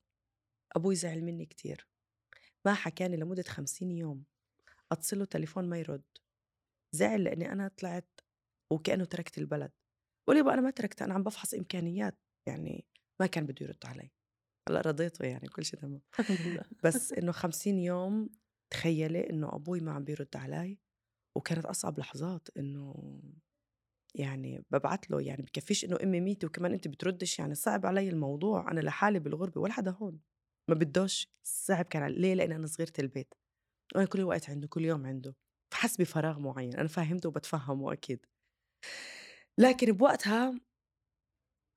أبوي زعل مني كتير، ما حكاني لمدة 50 يوم. أتصله تليفون ما يرد. زعل لأني أنا طلعت وكأنه تركت البلد. قولي بقى أنا ما تركت، أنا عم بفحص إمكانيات. يعني ما كان بده يرد علي. هلا رضيته يعني كل شيء تمام. الحمد لله. بس إنه 50 يوم تخيلي إنه أبوي ما عم بيرد علي. وكانت أصعب لحظات إنه يعني ببعت له، يعني بكفيش إنه أمي ميتة وكمان أنت بتردش، يعني صعب علي الموضوع. أنا لحالي بالغربة ولا حدا هون، ما بدوش. صعب كان ليه؟ لأن أنا صغيرة البيت وأنا كل الوقت عنده، كل يوم عنده، فحس بفراغ معين. أنا فاهمته وبتفهمه أكيد. لكن بوقتها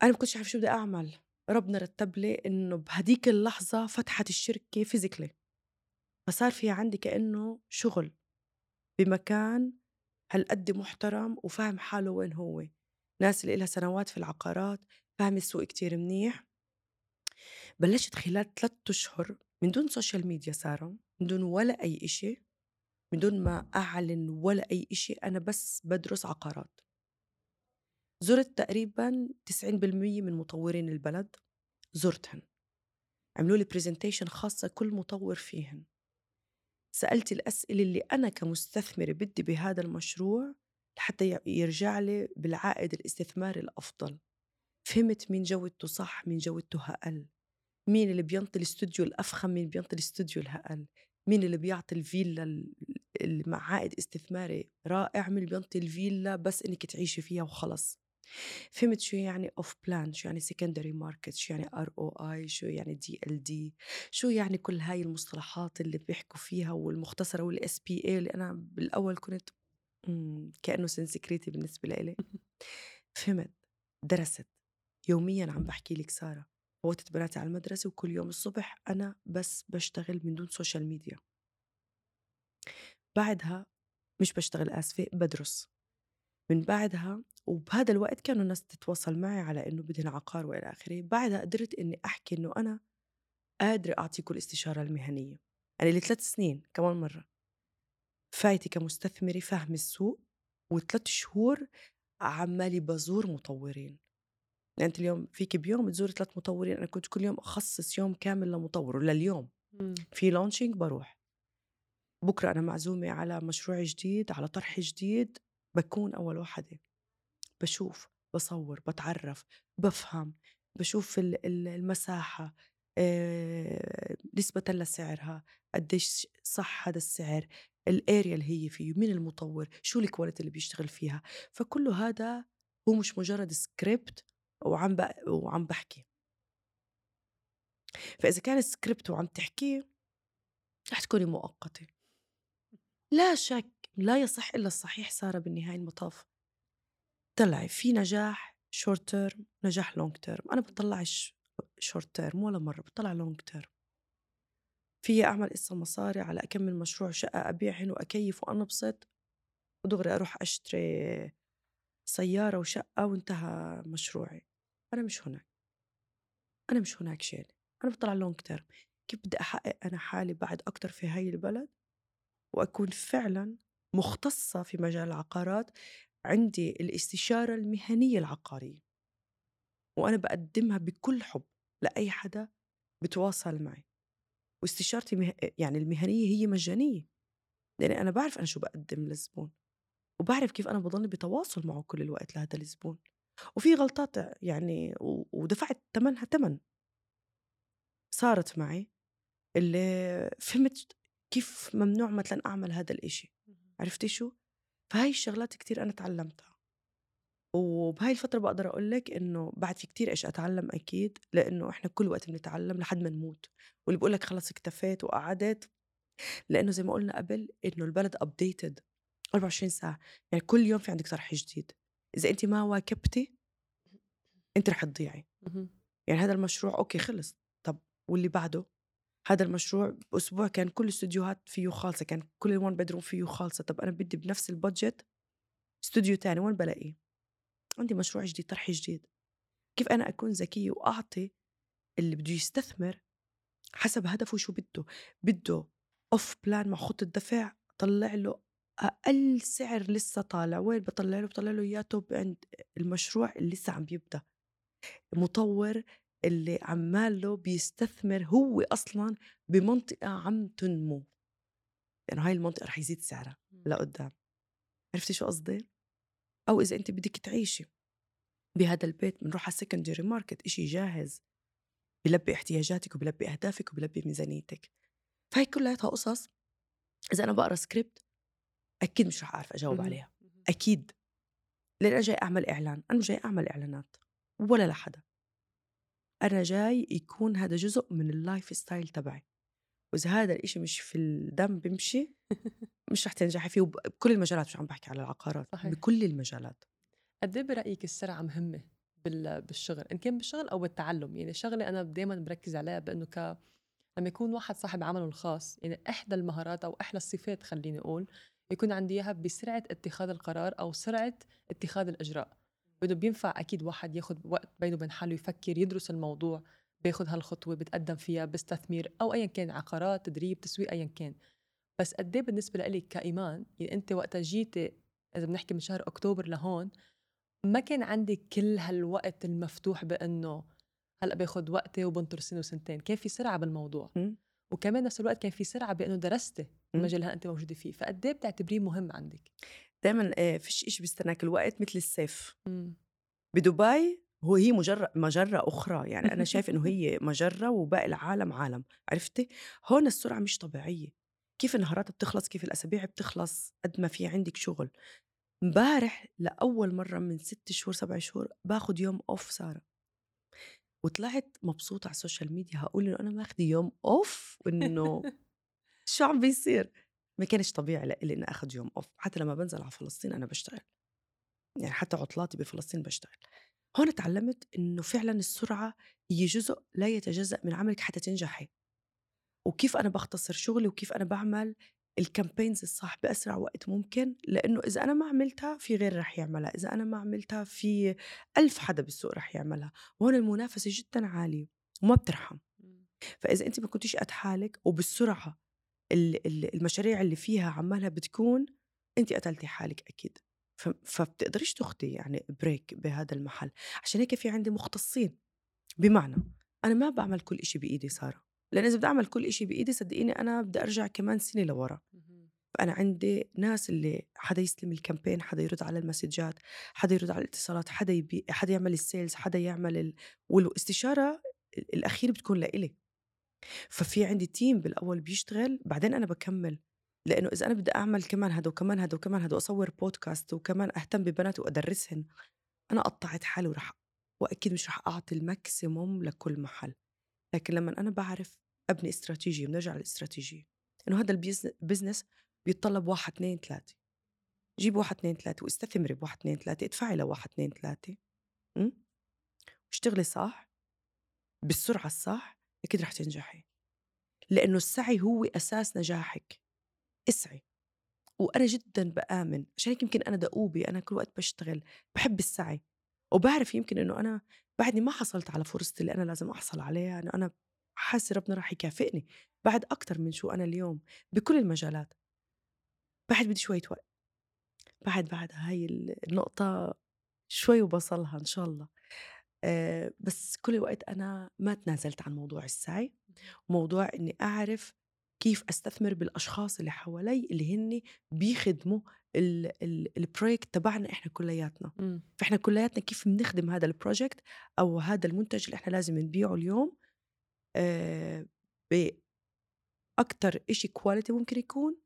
أنا ما كنتش عارف شو بدي أعمل. ربنا رتب لي إنه بهديك اللحظة فتحت الشركة فيزيكلي، فصار في عندي كأنه شغل بمكان هالقد محترم وفاهم حاله وين هو. ناس اللي إلها سنوات في العقارات، فاهم السوق كتير منيح. بلشت خلال 3 أشهر من دون سوشيال ميديا سارة، من دون ولا أي إشي، من دون ما أعلن ولا أي إشي. أنا بس بدرس عقارات. زرت تقريبا 90% من مطورين البلد، زرتهن، عملوا لي بريزنتيشن خاصة كل مطور فيهن. سألت الأسئلة اللي أنا كمستثمرة بدي بهذا المشروع لحتى يرجع لي بالعائد الاستثماري الأفضل. فهمت مين جودته صح، مين جودته أقل، مين اللي بينطي الاستوديو الأفخم، مين بينطي الاستوديو الأقل، مين اللي بيعطي الفيلا اللي مع عائد استثماري رائع، مين اللي بينطي الفيلا بس إنك تعيشي فيها وخلص. فهمت شو يعني اوف بلان، شو يعني سكندري ماركت، شو يعني ROI، شو يعني DLD، شو يعني كل هاي المصطلحات اللي بيحكوا فيها والمختصرة والSPA اللي أنا بالأول كنت كأنه سنسكريتي بالنسبة لإلي. فهمت، درست يوميا. عم بحكي لك سارة، فوتت بناتي على المدرسة وكل يوم الصبح أنا بس بشتغل من دون سوشيال ميديا. بعدها مش بشتغل، آسفة، بدرس. من بعدها وبهذا الوقت كانوا الناس تتواصل معي على إنه بدهن عقار وإلى آخره. بعدها قدرت إني أحكي إنه أنا قادرة أعطيكم الاستشارة المهنية. أنا لي 3 سنين كمان مرة فايتة كمستثمرة فاهمة السوق، و3 شهور عمالي بزور مطورين. يعني أنت اليوم فيك بيوم تزور 3 مطورين، أنا كنت كل يوم أخصص يوم كامل لمطور. ولليوم في لونشينج بروح، بكرة أنا معزومة على مشروع جديد، على طرح جديد، بكون أول واحدة بشوف، بصور، بتعرف، بفهم، بشوف المساحة، نسبة لسعرها قديش صح هذا السعر، الاريا اللي هي فيه، مين المطور، شو الكواليتي اللي بيشتغل فيها. فكله هذا هو مش مجرد سكريبت وعم بحكي. فإذا كان سكريبت وعم تحكيه رح تكوني مؤقتة. لا شك، لا يصح إلا الصحيح سارة بالنهاية المطاف. طلعي في نجاح شورت تيرم، نجاح لونج تيرم. أنا بطلعش شورت تيرم ولا مرة، بطلع لونج تيرم. في أعمل قصة مصاري على أكمل مشروع شقة أبيعهن وأكيف وأنبسط، ودغري أروح أشتري سيارة وشقة وانتهى مشروعي. أنا مش هناك، أنا مش هناك شيء. أنا بطلع لونج تيرم. كيف بدي أحقق أنا حالي بعد أكتر في هاي البلد وأكون فعلا مختصة في مجال العقارات، عندي الاستشارة المهنية العقارية وأنا بقدمها بكل حب لأي حدا بتواصل معي. واستشارتي يعني المهنية هي مجانية، لأن أنا بعرف أنا شو بقدم للزبون، وبعرف كيف أنا بضل بتواصل معه كل الوقت لهذا الزبون. وفي غلطات يعني ودفعت ثمنها ثمن صارت معي، اللي فهمت كيف ممنوع مثلا أعمل هذا الإشي. عرفتي شو؟ فهاي الشغلات كتير أنا تعلمتها. وبهاي الفترة بقدر أقول لك إنه بعد في كتير إيش أتعلم أكيد، لأنه إحنا كل وقت بنتعلم لحد ما نموت. واللي بقول لك خلص اكتفيت وقعدت، لأنه زي ما قلنا قبل إنه البلد أبديتد 24 ساعة. يعني كل يوم في عندك طرح جديد، إذا أنت ما واكبتي أنت رح تضيعي. يعني هذا المشروع أوكي خلص، طب واللي بعده؟ هذا المشروع بأسبوع كان كل الاستوديوهات فيه خالصة، كان كل الوان بدروم فيه خالصة. طب أنا بدي بنفس البادجت استوديو تاني، وين بلاقيه؟ عندي مشروع جديد، طرح جديد. كيف أنا أكون ذكية وأعطي اللي بده يستثمر حسب هدفه شو بده أوف بلان مع خطة دفع، طلع له أقل سعر لسه طالع. وين بطلع له؟ بطلع له إياه توب عند المشروع اللي لسه عم بيبدأ، مطور اللي عماله بيستثمر هو أصلا بمنطقة عم تنمو، لأنه يعني هاي المنطقة رح يزيد سعرها لقدام. عرفتي شو قصدي؟ أو إذا أنت بدك تعيشي بهذا البيت، بنروح على السكندري ماركت، إشي جاهز بيلبي احتياجاتك وبيلبي أهدافك وبيلبي ميزانيتك. فهي كلها قصص إذا أنا بقرأ سكريبت أكيد مش رح أعرف أجاوب عليها، أكيد. لأن أنا جاي أعمل إعلان، أنا مش جاي أعمل إعلانات ولا لحدا. أنا جاي يكون هذا جزء من اللايف ستايل تبعي، وإذا هذا الإشي مش في الدم بمشي مش رح تنجحي فيه. بكل المجالات، مش عم بحكي على العقارات، صحيح. بكل المجالات. قد ايه برأيك السرعة مهمة بالشغل، إن كان بالشغل أو بالتعلم؟ يعني شغلة أنا دايما بركز عليها بأنه لما يكون واحد صاحب عمله الخاص، يعني إحدى المهارات أو إحدى الصفات خليني أقول يكون عندي إياها بسرعة اتخاذ القرار أو سرعة اتخاذ الإجراء. بده بينفع أكيد واحد ياخد وقت بينه وبين حاله يفكر، يدرس الموضوع، بياخد هالخطوة، بتقدم فيها بستثمير أو أيا كان، عقارات، تدريب، تسويق، أيا كان. بس قد ايه بالنسبة لإلي كإيمان، يعني أنت وقتها جيتي إذا بنحكي من شهر أكتوبر لهون، ما كان عندي كل هالوقت المفتوح بأنه هلأ باخد وقتي وبنطر سنة وسنتين. كان في سرعة بالموضوع، وكمان نفس الوقت كان في سرعة بأنه درستي المجال اللي أنت موجودة فيه. فقد ايه بتعتبريه مهم عندك؟ دايما فيش إشي بيستناك الوقت مثل السيف. بدبي هي مجرة أخرى، يعني أنا شايف إنه هي مجرة وباقي العالم عالم. عرفتي؟ هون السرعة مش طبيعية. كيف النهارات بتخلص، كيف الأسابيع بتخلص قد ما في عندك شغل. امبارح لأول مرة من 6 شهور 7 شهور باخد يوم أوف سارة، وطلعت مبسوطة على السوشيال ميديا هقول إنه أنا ماخدة يوم أوف وإنه شو عم بيصير. ما كانش طبيعي لإلي إني أخد يوم أوف. حتى لما بنزل على فلسطين أنا بشتغل، يعني حتى عطلاتي بفلسطين بشتغل. هون تعلمت إنه فعلا السرعة هي جزء لا يتجزأ من عملك حتى تنجحي، وكيف أنا بختصر شغلي وكيف أنا بعمل الكامبينز الصح بأسرع وقت ممكن، لأنه إذا أنا ما عملتها في غير رح يعملها، إذا أنا ما عملتها في 1000 حدا بالسوق رح يعملها. وهون المنافسة جدا عالية وما بترحم. فإذا أنت ما كنتيش قد حالك وبالسرعة المشاريع اللي فيها عمالها بتكون، أنت قتلتي حالك أكيد. فبتقدريش تاخدي يعني بريك بهذا المحل. عشان هيك في عندي مختصين، بمعنى أنا ما بعمل كل إشي بإيدي سارة، لأن إذا بدي أعمل كل إشي بإيدي صدقيني أنا بدي أرجع كمان سنة لورا. فأنا عندي ناس اللي حدا يستلم الكامبين، حدا يرد على المسجات، حدا يرد على الاتصالات، حدا يعمل السيلز، حدا يعمل والاستشارة الأخير بتكون لإلي. ففي عندي تيم بالأول بيشتغل، بعدين أنا بكمل. لأنه إذا أنا بدي أعمل كمان هذا وكمان هذا وكمان هذا وأصور بودكاست وكمان أهتم ببنات وأدرسهن، أنا قطعت حالي وأكيد مش رح أعطي الماكسيموم لكل محل. لكن لما أنا بعرف أبني استراتيجية، بنرجع للاستراتيجية، إنه هذا البيزنس بيتطلب 1 2 3، جيب 1 2 3 واستثمري ب1 2 3، ادفعي ل1 2 3 واشتغلي صح بالسرعة الصح، أكيد رح تنجحي. لأنه السعي هو أساس نجاحك. اسعي. وأنا جدا بآمن، عشان هيك يمكن أنا دؤوبة، أنا كل وقت بشتغل، بحب السعي، وبعرف يمكن إنه أنا بعدني ما حصلت على فرصتي اللي أنا لازم أحصل عليها. أنا حاسة ربنا راح يكافئني بعد أكتر من شو أنا اليوم بكل المجالات. بعد بدي شوية وقت، بعد هاي النقطة شوي وبصلها إن شاء الله. بس كل الوقت أنا ما تنازلت عن موضوع السعي، وموضوع إني أعرف كيف أستثمر بالأشخاص اللي حوالي اللي هن بيخدموا البروجكت تبعنا إحنا كلياتنا. فإحنا كلياتنا كيف بنخدم هذا البروجكت أو هذا المنتج اللي إحنا لازم نبيعه اليوم بأكتر إشي كواليتي ممكن يكون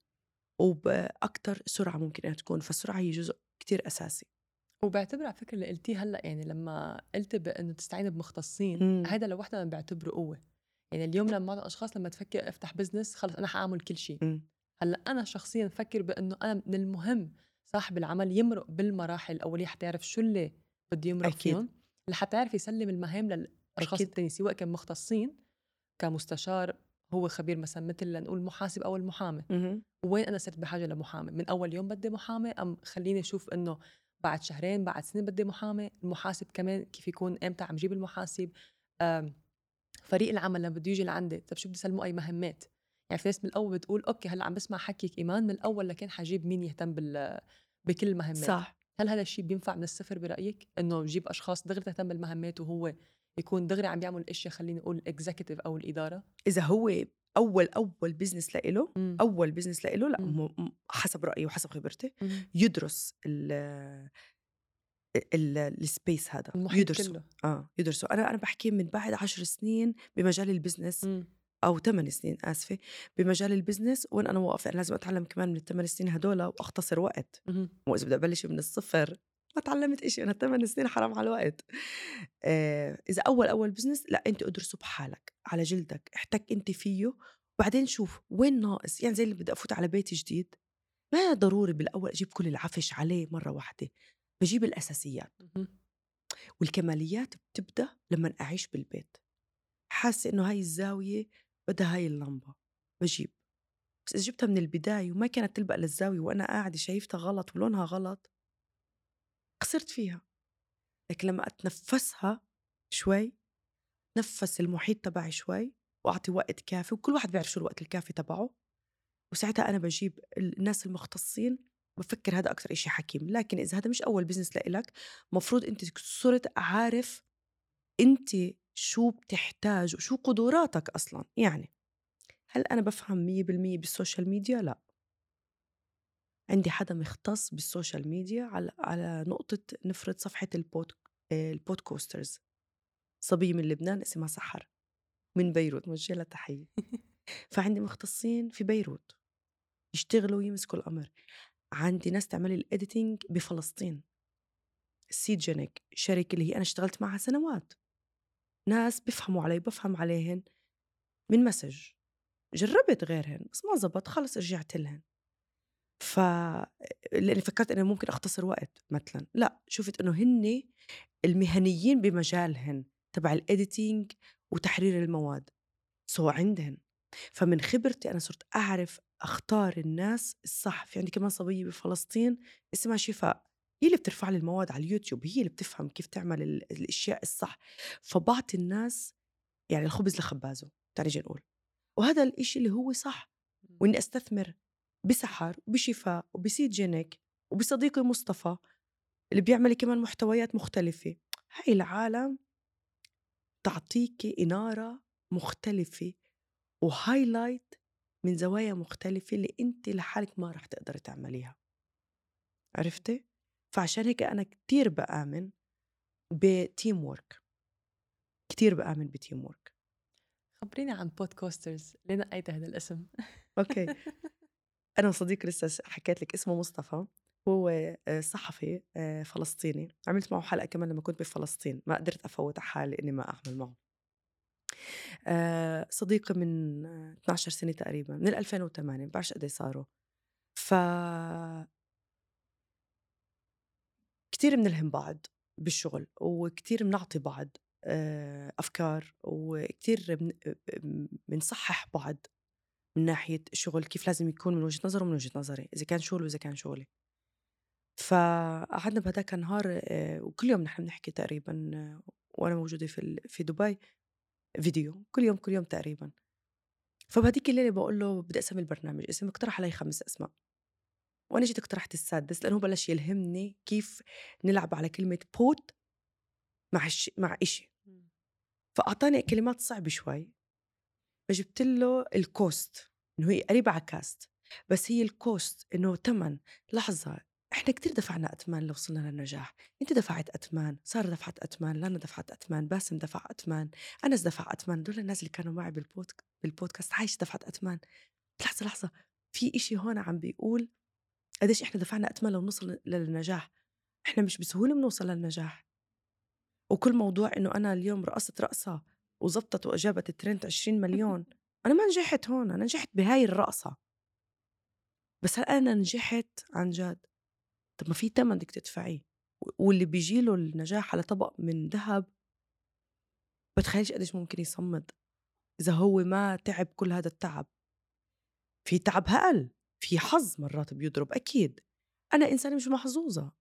وبأكتر سرعة ممكن أن تكون. فالسرعة هي جزء كتير أساسي. وبعتبر على فكرة اللي قلتيه هلأ، يعني لما قلت بأنه تستعين بمختصين، هذا لوحده أنا بعتبره قوة. يعني اليوم لما بعض الأشخاص لما تفكر أفتح بزنس خلص أنا حأعمل كل شيء. هلأ أنا شخصيا بفكر بأنه أنا من المهم صاحب العمل يمرق بالمراحل الأولية حتى يعرف شو اللي بده يمرق فيهم، لحتى يعرف يسلم المهام للأشخاص التانيين، سواء كان مختصين كمستشار، هو خبير مثلا مثل لنقول محاسب أو المحامي. وين أنا صرت بحاجة لمحامي؟ من أول يوم بدي محامي، أم خليني أشوف إنه بعد شهرين بعد سنين بدي محامي؟ المحاسب كمان كيف يكون، إمتى عم جيب المحاسب؟ فريق العمل لما بده يجي لعندي، طب شو بدي سلمه أي مهمات؟ يعني في ناس من الأول بتقول أوكي هلا عم بسمع حكيك إيمان، من الأول لكن حجيب مين يهتم بكل المهمات؟ صح. هل هذا الشيء بينفع من الصفر برأيك؟ إنه نجيب أشخاص دغري تهتم بالمهمات وهو يكون دغري عم بيعمل الاشياء، خليني اقول الاكزيكتيف او الاداره؟ اذا هو اول بزنس لإله، اول بزنس لإله، لا حسب رايي وحسب خبرتي يدرس السبيس هذا، يدرسه يدرسه. انا بحكي من بعد 10 سنين بمجال البزنس او 8 سنين اسفه بمجال البزنس، وين انا واقفه. انا لازم اتعلم كمان من ال8 سنين هدول واختصر وقت. واذا بدي ابلش من الصفر ما تعلمت إشي، أنا 8 سنين حرام على الوقت. إذا أول بزنس، لا أنت أدرسه بحالك على جلدك، احتك أنت فيه، وبعدين شوف وين ناقص. يعني زي اللي بدي أفوت على بيت جديد، ما ضروري بالأول أجيب كل العفش عليه مرة واحدة، بجيب الأساسيات. والكماليات بتبدأ لما أعيش بالبيت، حاسة إنه هاي الزاوية بدها هاي اللمبة، بجيب. بس إذا جبتها من البداية وما كانت تلبق للزاوية وأنا قاعدة شايفتها غلط ولونها غلط، خسرت فيها. لكن لما أتنفسها شوي، نفس المحيط تبعي شوي، وأعطي وقت كافي، وكل واحد بيعرف شو الوقت الكافي تبعه، وساعتها أنا بجيب الناس المختصين. بفكر هذا أكتر إشي حكيم. لكن إذا هذا مش أول بزنس لإلك، مفروض أنت صرت عارف أنت شو بتحتاج وشو قدراتك أصلا. يعني هل أنا بفهم 100% بالسوشيال ميديا؟ لا. عندي حدا مختص بالسوشيال ميديا على نقطة نفرض صفحة البودكاسترز، صبية من لبنان اسمها سحر من بيروت، موجهة لها تحية. فعندي مختصين في بيروت يشتغلوا ويمسكوا الأمر. عندي ناس تعمل الإديتينج بفلسطين، سيجينيك شركة اللي هي أنا اشتغلت معها سنوات، ناس بفهموا علي بفهم عليهن من مسج. جربت غيرهن بس ما زبط، خلص رجعت لهن. لأني فكرت أنه ممكن أختصر وقت مثلا، لا، شفت أنه هن المهنيين بمجالهن تبع الإديتينج وتحرير المواد سو عندهن. فمن خبرتي أنا صرت أعرف أختار الناس الصح. في عندي كمان صبية بفلسطين اسمها شفاء، هي اللي بترفع لي المواد على اليوتيوب، هي اللي بتفهم كيف تعمل الأشياء الصح. فبعطي الناس يعني الخبز لخبازه، تعالي نقول، وهذا الإشي اللي هو صح. وإني أستثمر بسحر وبشفاء وبسيد جينيك وبصديقي مصطفى اللي بيعمل كمان محتويات مختلفة. هاي العالم تعطيك إنارة مختلفة وهايلايت من زوايا مختلفة اللي أنت لحالك ما رح تقدر تعمليها. عرفتي؟ فعشان هيك أنا كتير بآمن بتيم وورك، كتير بآمن بتيم وورك. خبريني عن بودكاسترز، ليه نقيت هذا الاسم؟ أوكي. أنا وصديقي لسه حكيت لك اسمه مصطفى، هو صحفي فلسطيني، عملت معه حلقة كمان لما كنت بفلسطين، ما قدرت أفوت على حالي إني ما أعمل معه. صديقي من 12 سنة تقريبا، من 2008، بعرفش قد ايه صاروا. ف كتير بنلهم بعض بالشغل، وكتير بنعطي بعض أفكار، وكتير بنصحح بعض من ناحية الشغل كيف لازم يكون من وجهة نظره ومن وجهة نظري، إذا كان شغل وإذا كان شغلي. فقعدنا بهداك النهار وكل يوم نحن بنحكي تقريبا وأنا موجودة في دبي فيديو كل يوم تقريبا. فبهديك الليلة بقول له بدي أسمي البرنامج اسم، اقترح علي 5 أسماء وأنا جيت اقترحت السادس لأنه بلش يلهمني كيف نلعب على كلمة بوت مع إشي. فأعطاني كلمات صعبة شوي، فجبت له الكوست، إنه هي قريبة على كاست، بس هي الكوست إنه تمن. لحظة، إحنا كتير دفعنا أتمان لو وصلنا للنجاح. أنت دفعت أتمان، سارة دفعت أتمان، لانا دفعت أتمان، باسم دفع أتمان، أنس دفع أتمان، دول الناس اللي كانوا معي بالبودكاست عايش دفعت أتمان. لحظة، في إشي هون عم بيقول قديش إحنا دفعنا أتمان لو نوصل للنجاح. إحنا مش بسهولة بنوصل للنجاح. وكل موضوع إنه أنا اليوم رقصت رقصة وزبطت وأجابت الترند 20 مليون، أنا ما نجحت هون، أنا نجحت بهاي الرقصة، بس هل أنا نجحت عن جد؟ طب ما في تمن بدك تدفعيه، واللي بيجيله النجاح على طبق من ذهب بتخيلش قديش ممكن يصمد إذا هو ما تعب كل هذا التعب. في تعب هقل، في حظ مرات بيضرب أكيد. أنا إنسانة مش محظوظة،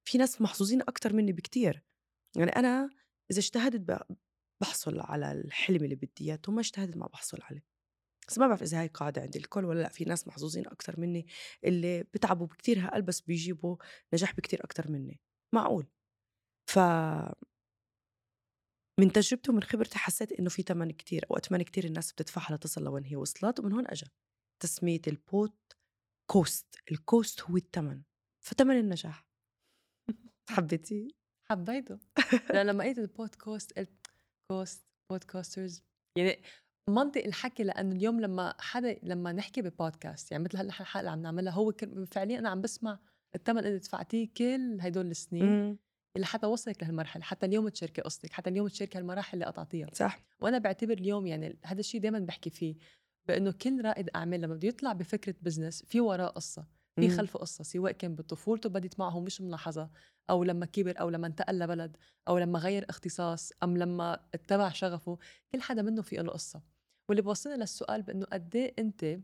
في ناس محظوظين أكتر مني بكتير. يعني أنا إذا اجتهدت بحصل على الحلم اللي بدي إياه، وما اجتهدت ما بحصل عليه. بس ما بعرف إذا هاي قاعدة عند الكل ولا لا. في ناس محظوظين أكتر مني اللي بتعبوا بكتير هقل بس بيجيبوا نجاح بكتير أكتر مني، معقول. ف من تجربتي ومن خبرتي حسيت إنه في تمن كتير أو أتمنى كتير الناس بتدفعها لتصل لوين هي وصلت، ومن هون أجا تسمية الكوست. الكوست هو التمن، فتمن النجاح. حبيتي؟ حبيته. لما قلت البودكاست قلت كوست بودكاسترز، يعني منطق الحكي. لأنه اليوم لما نحكي ببودكاست، يعني مثل الحلقة اللي عم نعملها، هو فعليا أنا عم بسمع الثمن اللي دفعتيه كل هدول السنين اللي حتى وصلك لهالمرحلة، حتى اليوم تشاركي قصتك، حتى اليوم تشاركي هالمراحل اللي قطعتيها. صح. وأنا بعتبر اليوم يعني هذا الشيء دايما بحكي فيه، بأنه كل رائد أعمال لما بده يطلع بفكرة بزنس في وراء قصة، في خلفه قصة، سواء كان بطفولته بدت معه مش ملاحظة، أو لما كبر، أو لما انتقل لبلد، أو لما غير اختصاص، أم لما اتبع شغفه. كل حدا منه في له قصة. واللي بوصلنا للسؤال بأنه قد ايه أنت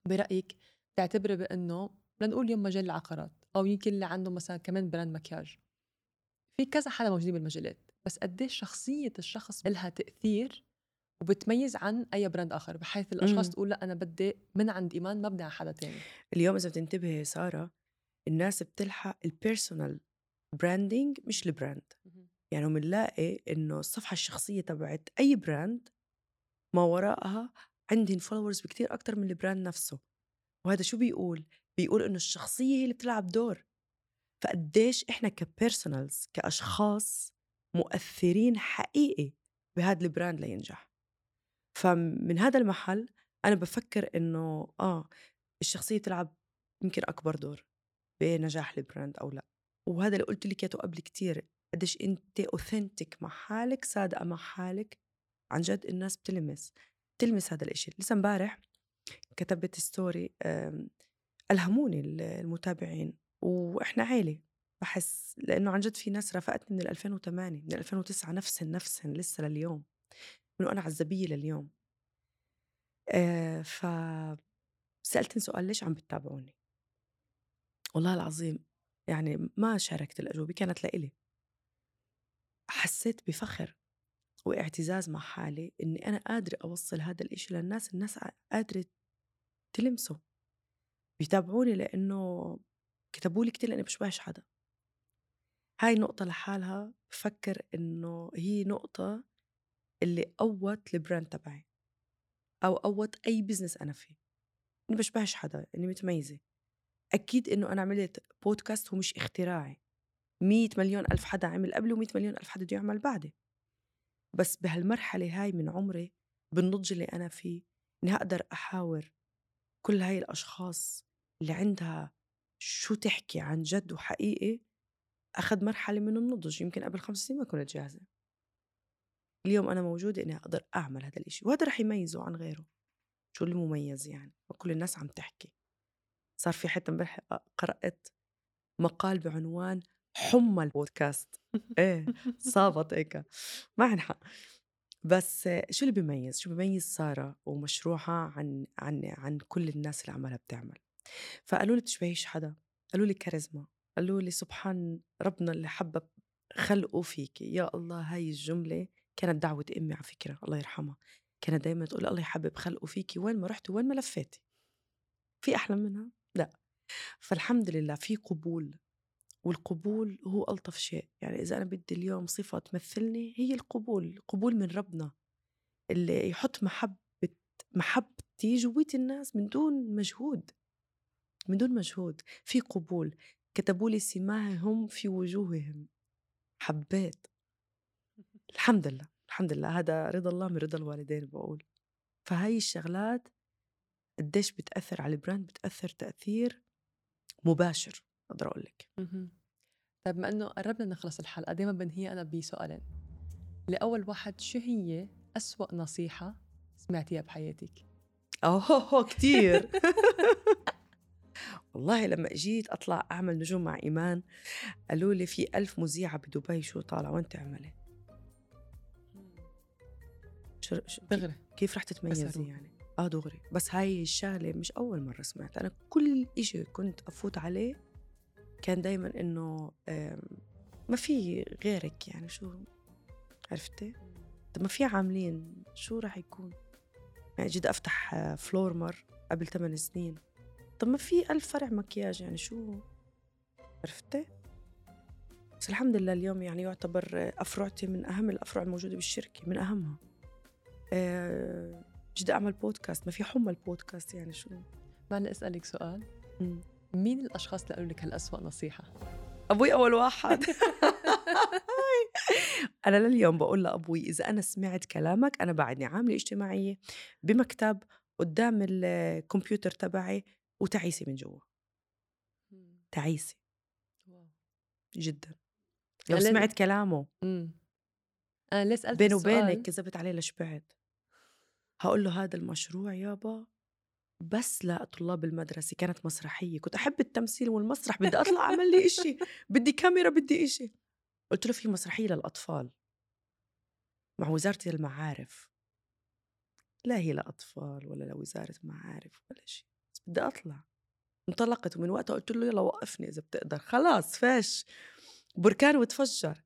برأيك تعتبري بأنه لنقول يوم مجال العقارات، أو يمكن اللي عنده مثلا كمان براند مكياج، في كذا حدا موجودين بالمجالات، بس قد ايه شخصية الشخص لها تأثير وبتميز عن أي براند آخر، بحيث الأشخاص تقول لا أنا بدي من عند إيمان ما بدي على حدا تاني. اليوم إذا بتنتبهي سارة، الناس بتلحق البيرسونال براندينج مش البراند. يعني بنلاقي إنه الصفحة الشخصية تبعت أي براند ما وراءها عندهم فولورز بكتير أكتر من البراند نفسه. وهذا شو بيقول إنه الشخصية هي اللي بتلعب دور. فقديش إحنا كبيرسونالز كأشخاص مؤثرين حقيقي بهذا البراند لينجح. فمن هذا المحل أنا بفكر إنه الشخصية تلعب يمكن أكبر دور. بنجاح البراند أو لأ. وهذا اللي قلت لك إياه قبل كتير، قديش أنت أوثنتك مع حالك، صادقة مع حالك، عن جد الناس بتلمس هذا الإشي. لسه امبارح كتبت ستوري ألهموني المتابعين، وإحنا عيلة بحس، لأنه عن جد في ناس رافقتني من 2008 من 2009 نفسهن لسه لليوم، من وأنا عزبية لليوم. فسألتني سؤال: ليش عم بتتابعوني؟ والله العظيم يعني ما شاركت الأجوبة، كانت لإلي. حسيت بفخر واعتزاز مع حالي إني أنا قادرة أوصل هذا الإشي للناس. الناس قادرة تلمسه، بيتابعوني لأنه كتبوا لي كتير لأني بشبهش حدا. هاي نقطة لحالها بفكر إنه هي نقطة اللي قوت البراند تبعي أو قوت أي بزنس أنا فيه، إني بشبهش حدا، إني متميزة. أكيد إنه أنا عملت بودكاست هو مش اختراعي، 100 مليون ألف حدا عمل قبلي و100 مليون ألف حدا بده يعمل بعدي. بس بهالمرحلة هاي من عمري، بالنضج اللي أنا فيه، إني أقدر أحاور كل هاي الأشخاص اللي عندها شو تحكي عن جد وحقيقي. أخذ مرحلة من النضج، يمكن قبل 5 سنين ما كنت جاهزة. اليوم أنا موجودة إني أقدر أعمل هذا الإشي، وهذا رح يميزه عن غيره. شو المميز يعني؟ وكل الناس عم تحكي. صار في حتى امبارح قرأت مقال بعنوان حمى البودكاست. إيه صابت هيك ما عنحق. بس شو اللي بيميز؟ شو بيميز سارة ومشروعها عن كل الناس اللي عمالها بتعمل؟ فقالوا لي بتشبهيش حدا، قالوا لي كاريزما، قالوا لي سبحان ربنا اللي حبب خلقه فيك. يا الله، هاي الجملة كانت دعوة أمي على فكرة، الله يرحمها. كانت دايما تقول الله يحبب خلقه فيكي، وين ما رحت وين ما لفيتي. في أحلى منها؟ لا. فالحمد لله في قبول، والقبول هو ألطف شيء. يعني إذا أنا بدي اليوم صفة تمثلني، هي القبول. قبول من ربنا اللي يحط محبتي جويت الناس من دون مجهود، من دون مجهود. في قبول. كتبوا لي سماهم في وجوههم. حبيت. الحمد لله، الحمد لله. هذا رضا الله من رضا الوالدين بقول. فهاي الشغلات قديش بتأثر على البراند، بتأثر تأثير مباشر أقدر أقول لك. طيب ما إنه قربنا نخلص الحلقة، دايما بنهي أنا بسؤالين. لأول واحد، شو هي أسوأ نصيحة سمعتيها بحياتك؟ كتير. والله لما اجيت أطلع أعمل نجوم مع إيمان، قالوا لي في 1000 مذيعة بدبي، شو طالعة وين تعملي؟ دغري كيف رح تتميزي يعني؟ دغري. بس هاي الشغلة مش أول مرة سمعت. أنا كل إشي كنت أفوت عليه كان دايما إنه ما في غيرك، يعني شو عرفتي؟ طب ما في عاملين، شو رح يكون؟ يعني جيت أفتح فلورمر قبل 8 سنين، طب ما في 1000 فرع مكياج، يعني شو عرفتي؟ بس الحمد لله اليوم يعني يعتبر أفرعتي من أهم الأفرع الموجودة بالشركة، من أهمها. جد أعمل بودكاست، ما في حمى البودكاست، يعني شو؟ معنا أسألك سؤال. مين الأشخاص اللي قالوا لك هالأسوأ نصيحة؟ أبوي أول واحد. أنا لليوم بقول لأبوي إذا أنا سمعت كلامك، أنا بعدني عاملة اجتماعية بمكتب قدام الكمبيوتر تبعي وتعيسي من جوا. تعيسي جدا لو سمعت كلامه. أنا ليه سألت بيني السؤال؟ وبينك كذبت عليه لشبعت. هقول له هذا المشروع يابا بس لطلاب المدرسة، كانت مسرحية، كنت أحب التمثيل والمسرح، بدي أطلع أعمل لي إشي، بدي كاميرا، بدي إشي. قلت له في مسرحية للأطفال مع وزارة المعارف. لا هي لأطفال ولا لوزارة معارف ولا شيء، بس بدي أطلع. انطلقت، ومن وقتها قلت له يلا وقفني إذا بتقدر، خلاص فاش بركان وتفجر.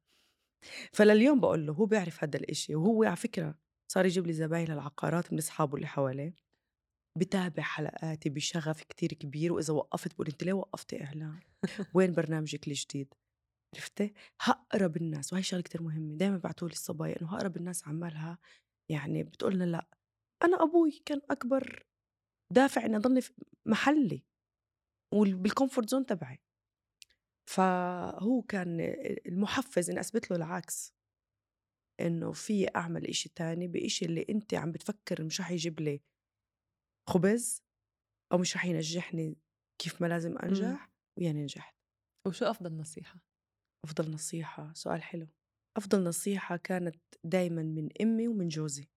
فلليوم بقول له، هو بيعرف هذا الإشي، وهو على فكرة صار يجيب لي زباين العقارات من أصحابه اللي حواليه، بتابع حلقاتي بشغف كتير كبير. وإذا وقفت بقول أنت ليه وقفتي إعلان؟ وين برنامجك الجديد؟ عرفتي؟ هقرب الناس، وهي شغلة كتير مهمة. دايما بعتولي الصبايا إنه هقرب الناس عمالها يعني بتقولنا لا. أنا أبوي كان أكبر دافع إني أضلني في محلي وبالكومفورت زون تبعي، فهو كان المحفز إني أثبت له العكس، إنه في أعمل إشي تاني بإشي اللي أنت عم بتفكر مش رح يجيب لي خبز أو مش رح ينجحني كيف ما لازم أنجح، ويعني نجحت. وشو أفضل نصيحة؟ أفضل نصيحة سؤال حلو. أفضل نصيحة كانت دايماً من أمي ومن جوزي.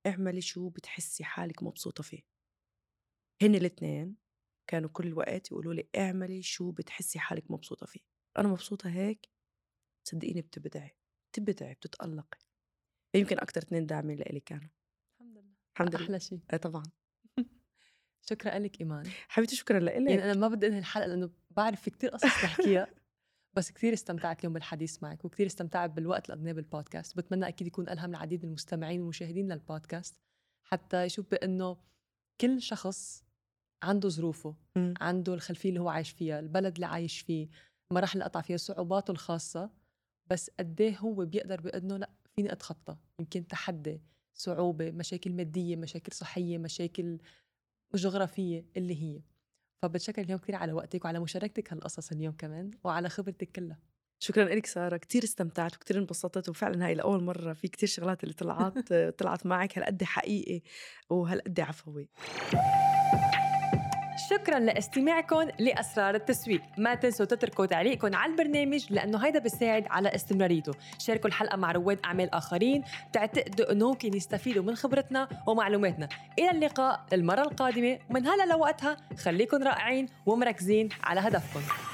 اعملي شو بتحسي حالك مبسوطة فيه. هن الاثنين كانوا كل وقت يقولوا لي اعملي شو بتحسي حالك مبسوطة فيه. أنا مبسوطة هيك، صدقيني بتبدعي بتتألقي. يمكن أكتر 2 داعمين لإلي كانوا. الحمد لله. أحلى شيء. طبعاً. شكرا لك إيمان. حبيبتي شكرا لك. يعني أنا ما بدي أنهي الحلقة لأنه بعرف في كتير قصص نحكيها بس كتير استمتعت اليوم بالحديث معك وكتير استمتعت بالوقت اللي قضيناه بالبودكاست. بتمنى أكيد يكون ألهم العديد من المستمعين والمشاهدين للبودكاست حتى يشوف بأنه كل شخص عنده ظروفه، عنده الخلفية اللي هو عايش فيها، البلد اللي عايش فيه، مراحل اللي قطع فيها، صعوباته الخاصة، بس قديه هو بيقدر بأنه لا فيني أتخطى. يمكن تحدي، صعوبة، مشاكل مادية، مشاكل صحية، مشاكل جغرافية اللي هي. فبتشكر اليوم كتير على وقتك وعلى مشاركتك هالقصص اليوم كمان وعلى خبرتك كلها. شكرا لك سارة، كتير استمتعت وكتير انبسطت، وفعلا هاي لأول مرة في كتير شغلات اللي طلعت معك هالقد حقيقي وهالقد عفوي. شكرا لاستماعكم لأسرار التسويق. ما تنسوا تتركوا تعليقكم على البرنامج لأنه هيدا بيساعد على استمراريته. شاركوا الحلقة مع رواد أعمال آخرين تعتقدوا أنه ممكن يستفيدوا من خبرتنا ومعلوماتنا. إلى اللقاء المرة القادمة، ومن هلا لوقتها خليكن رائعين ومركزين على هدفكم.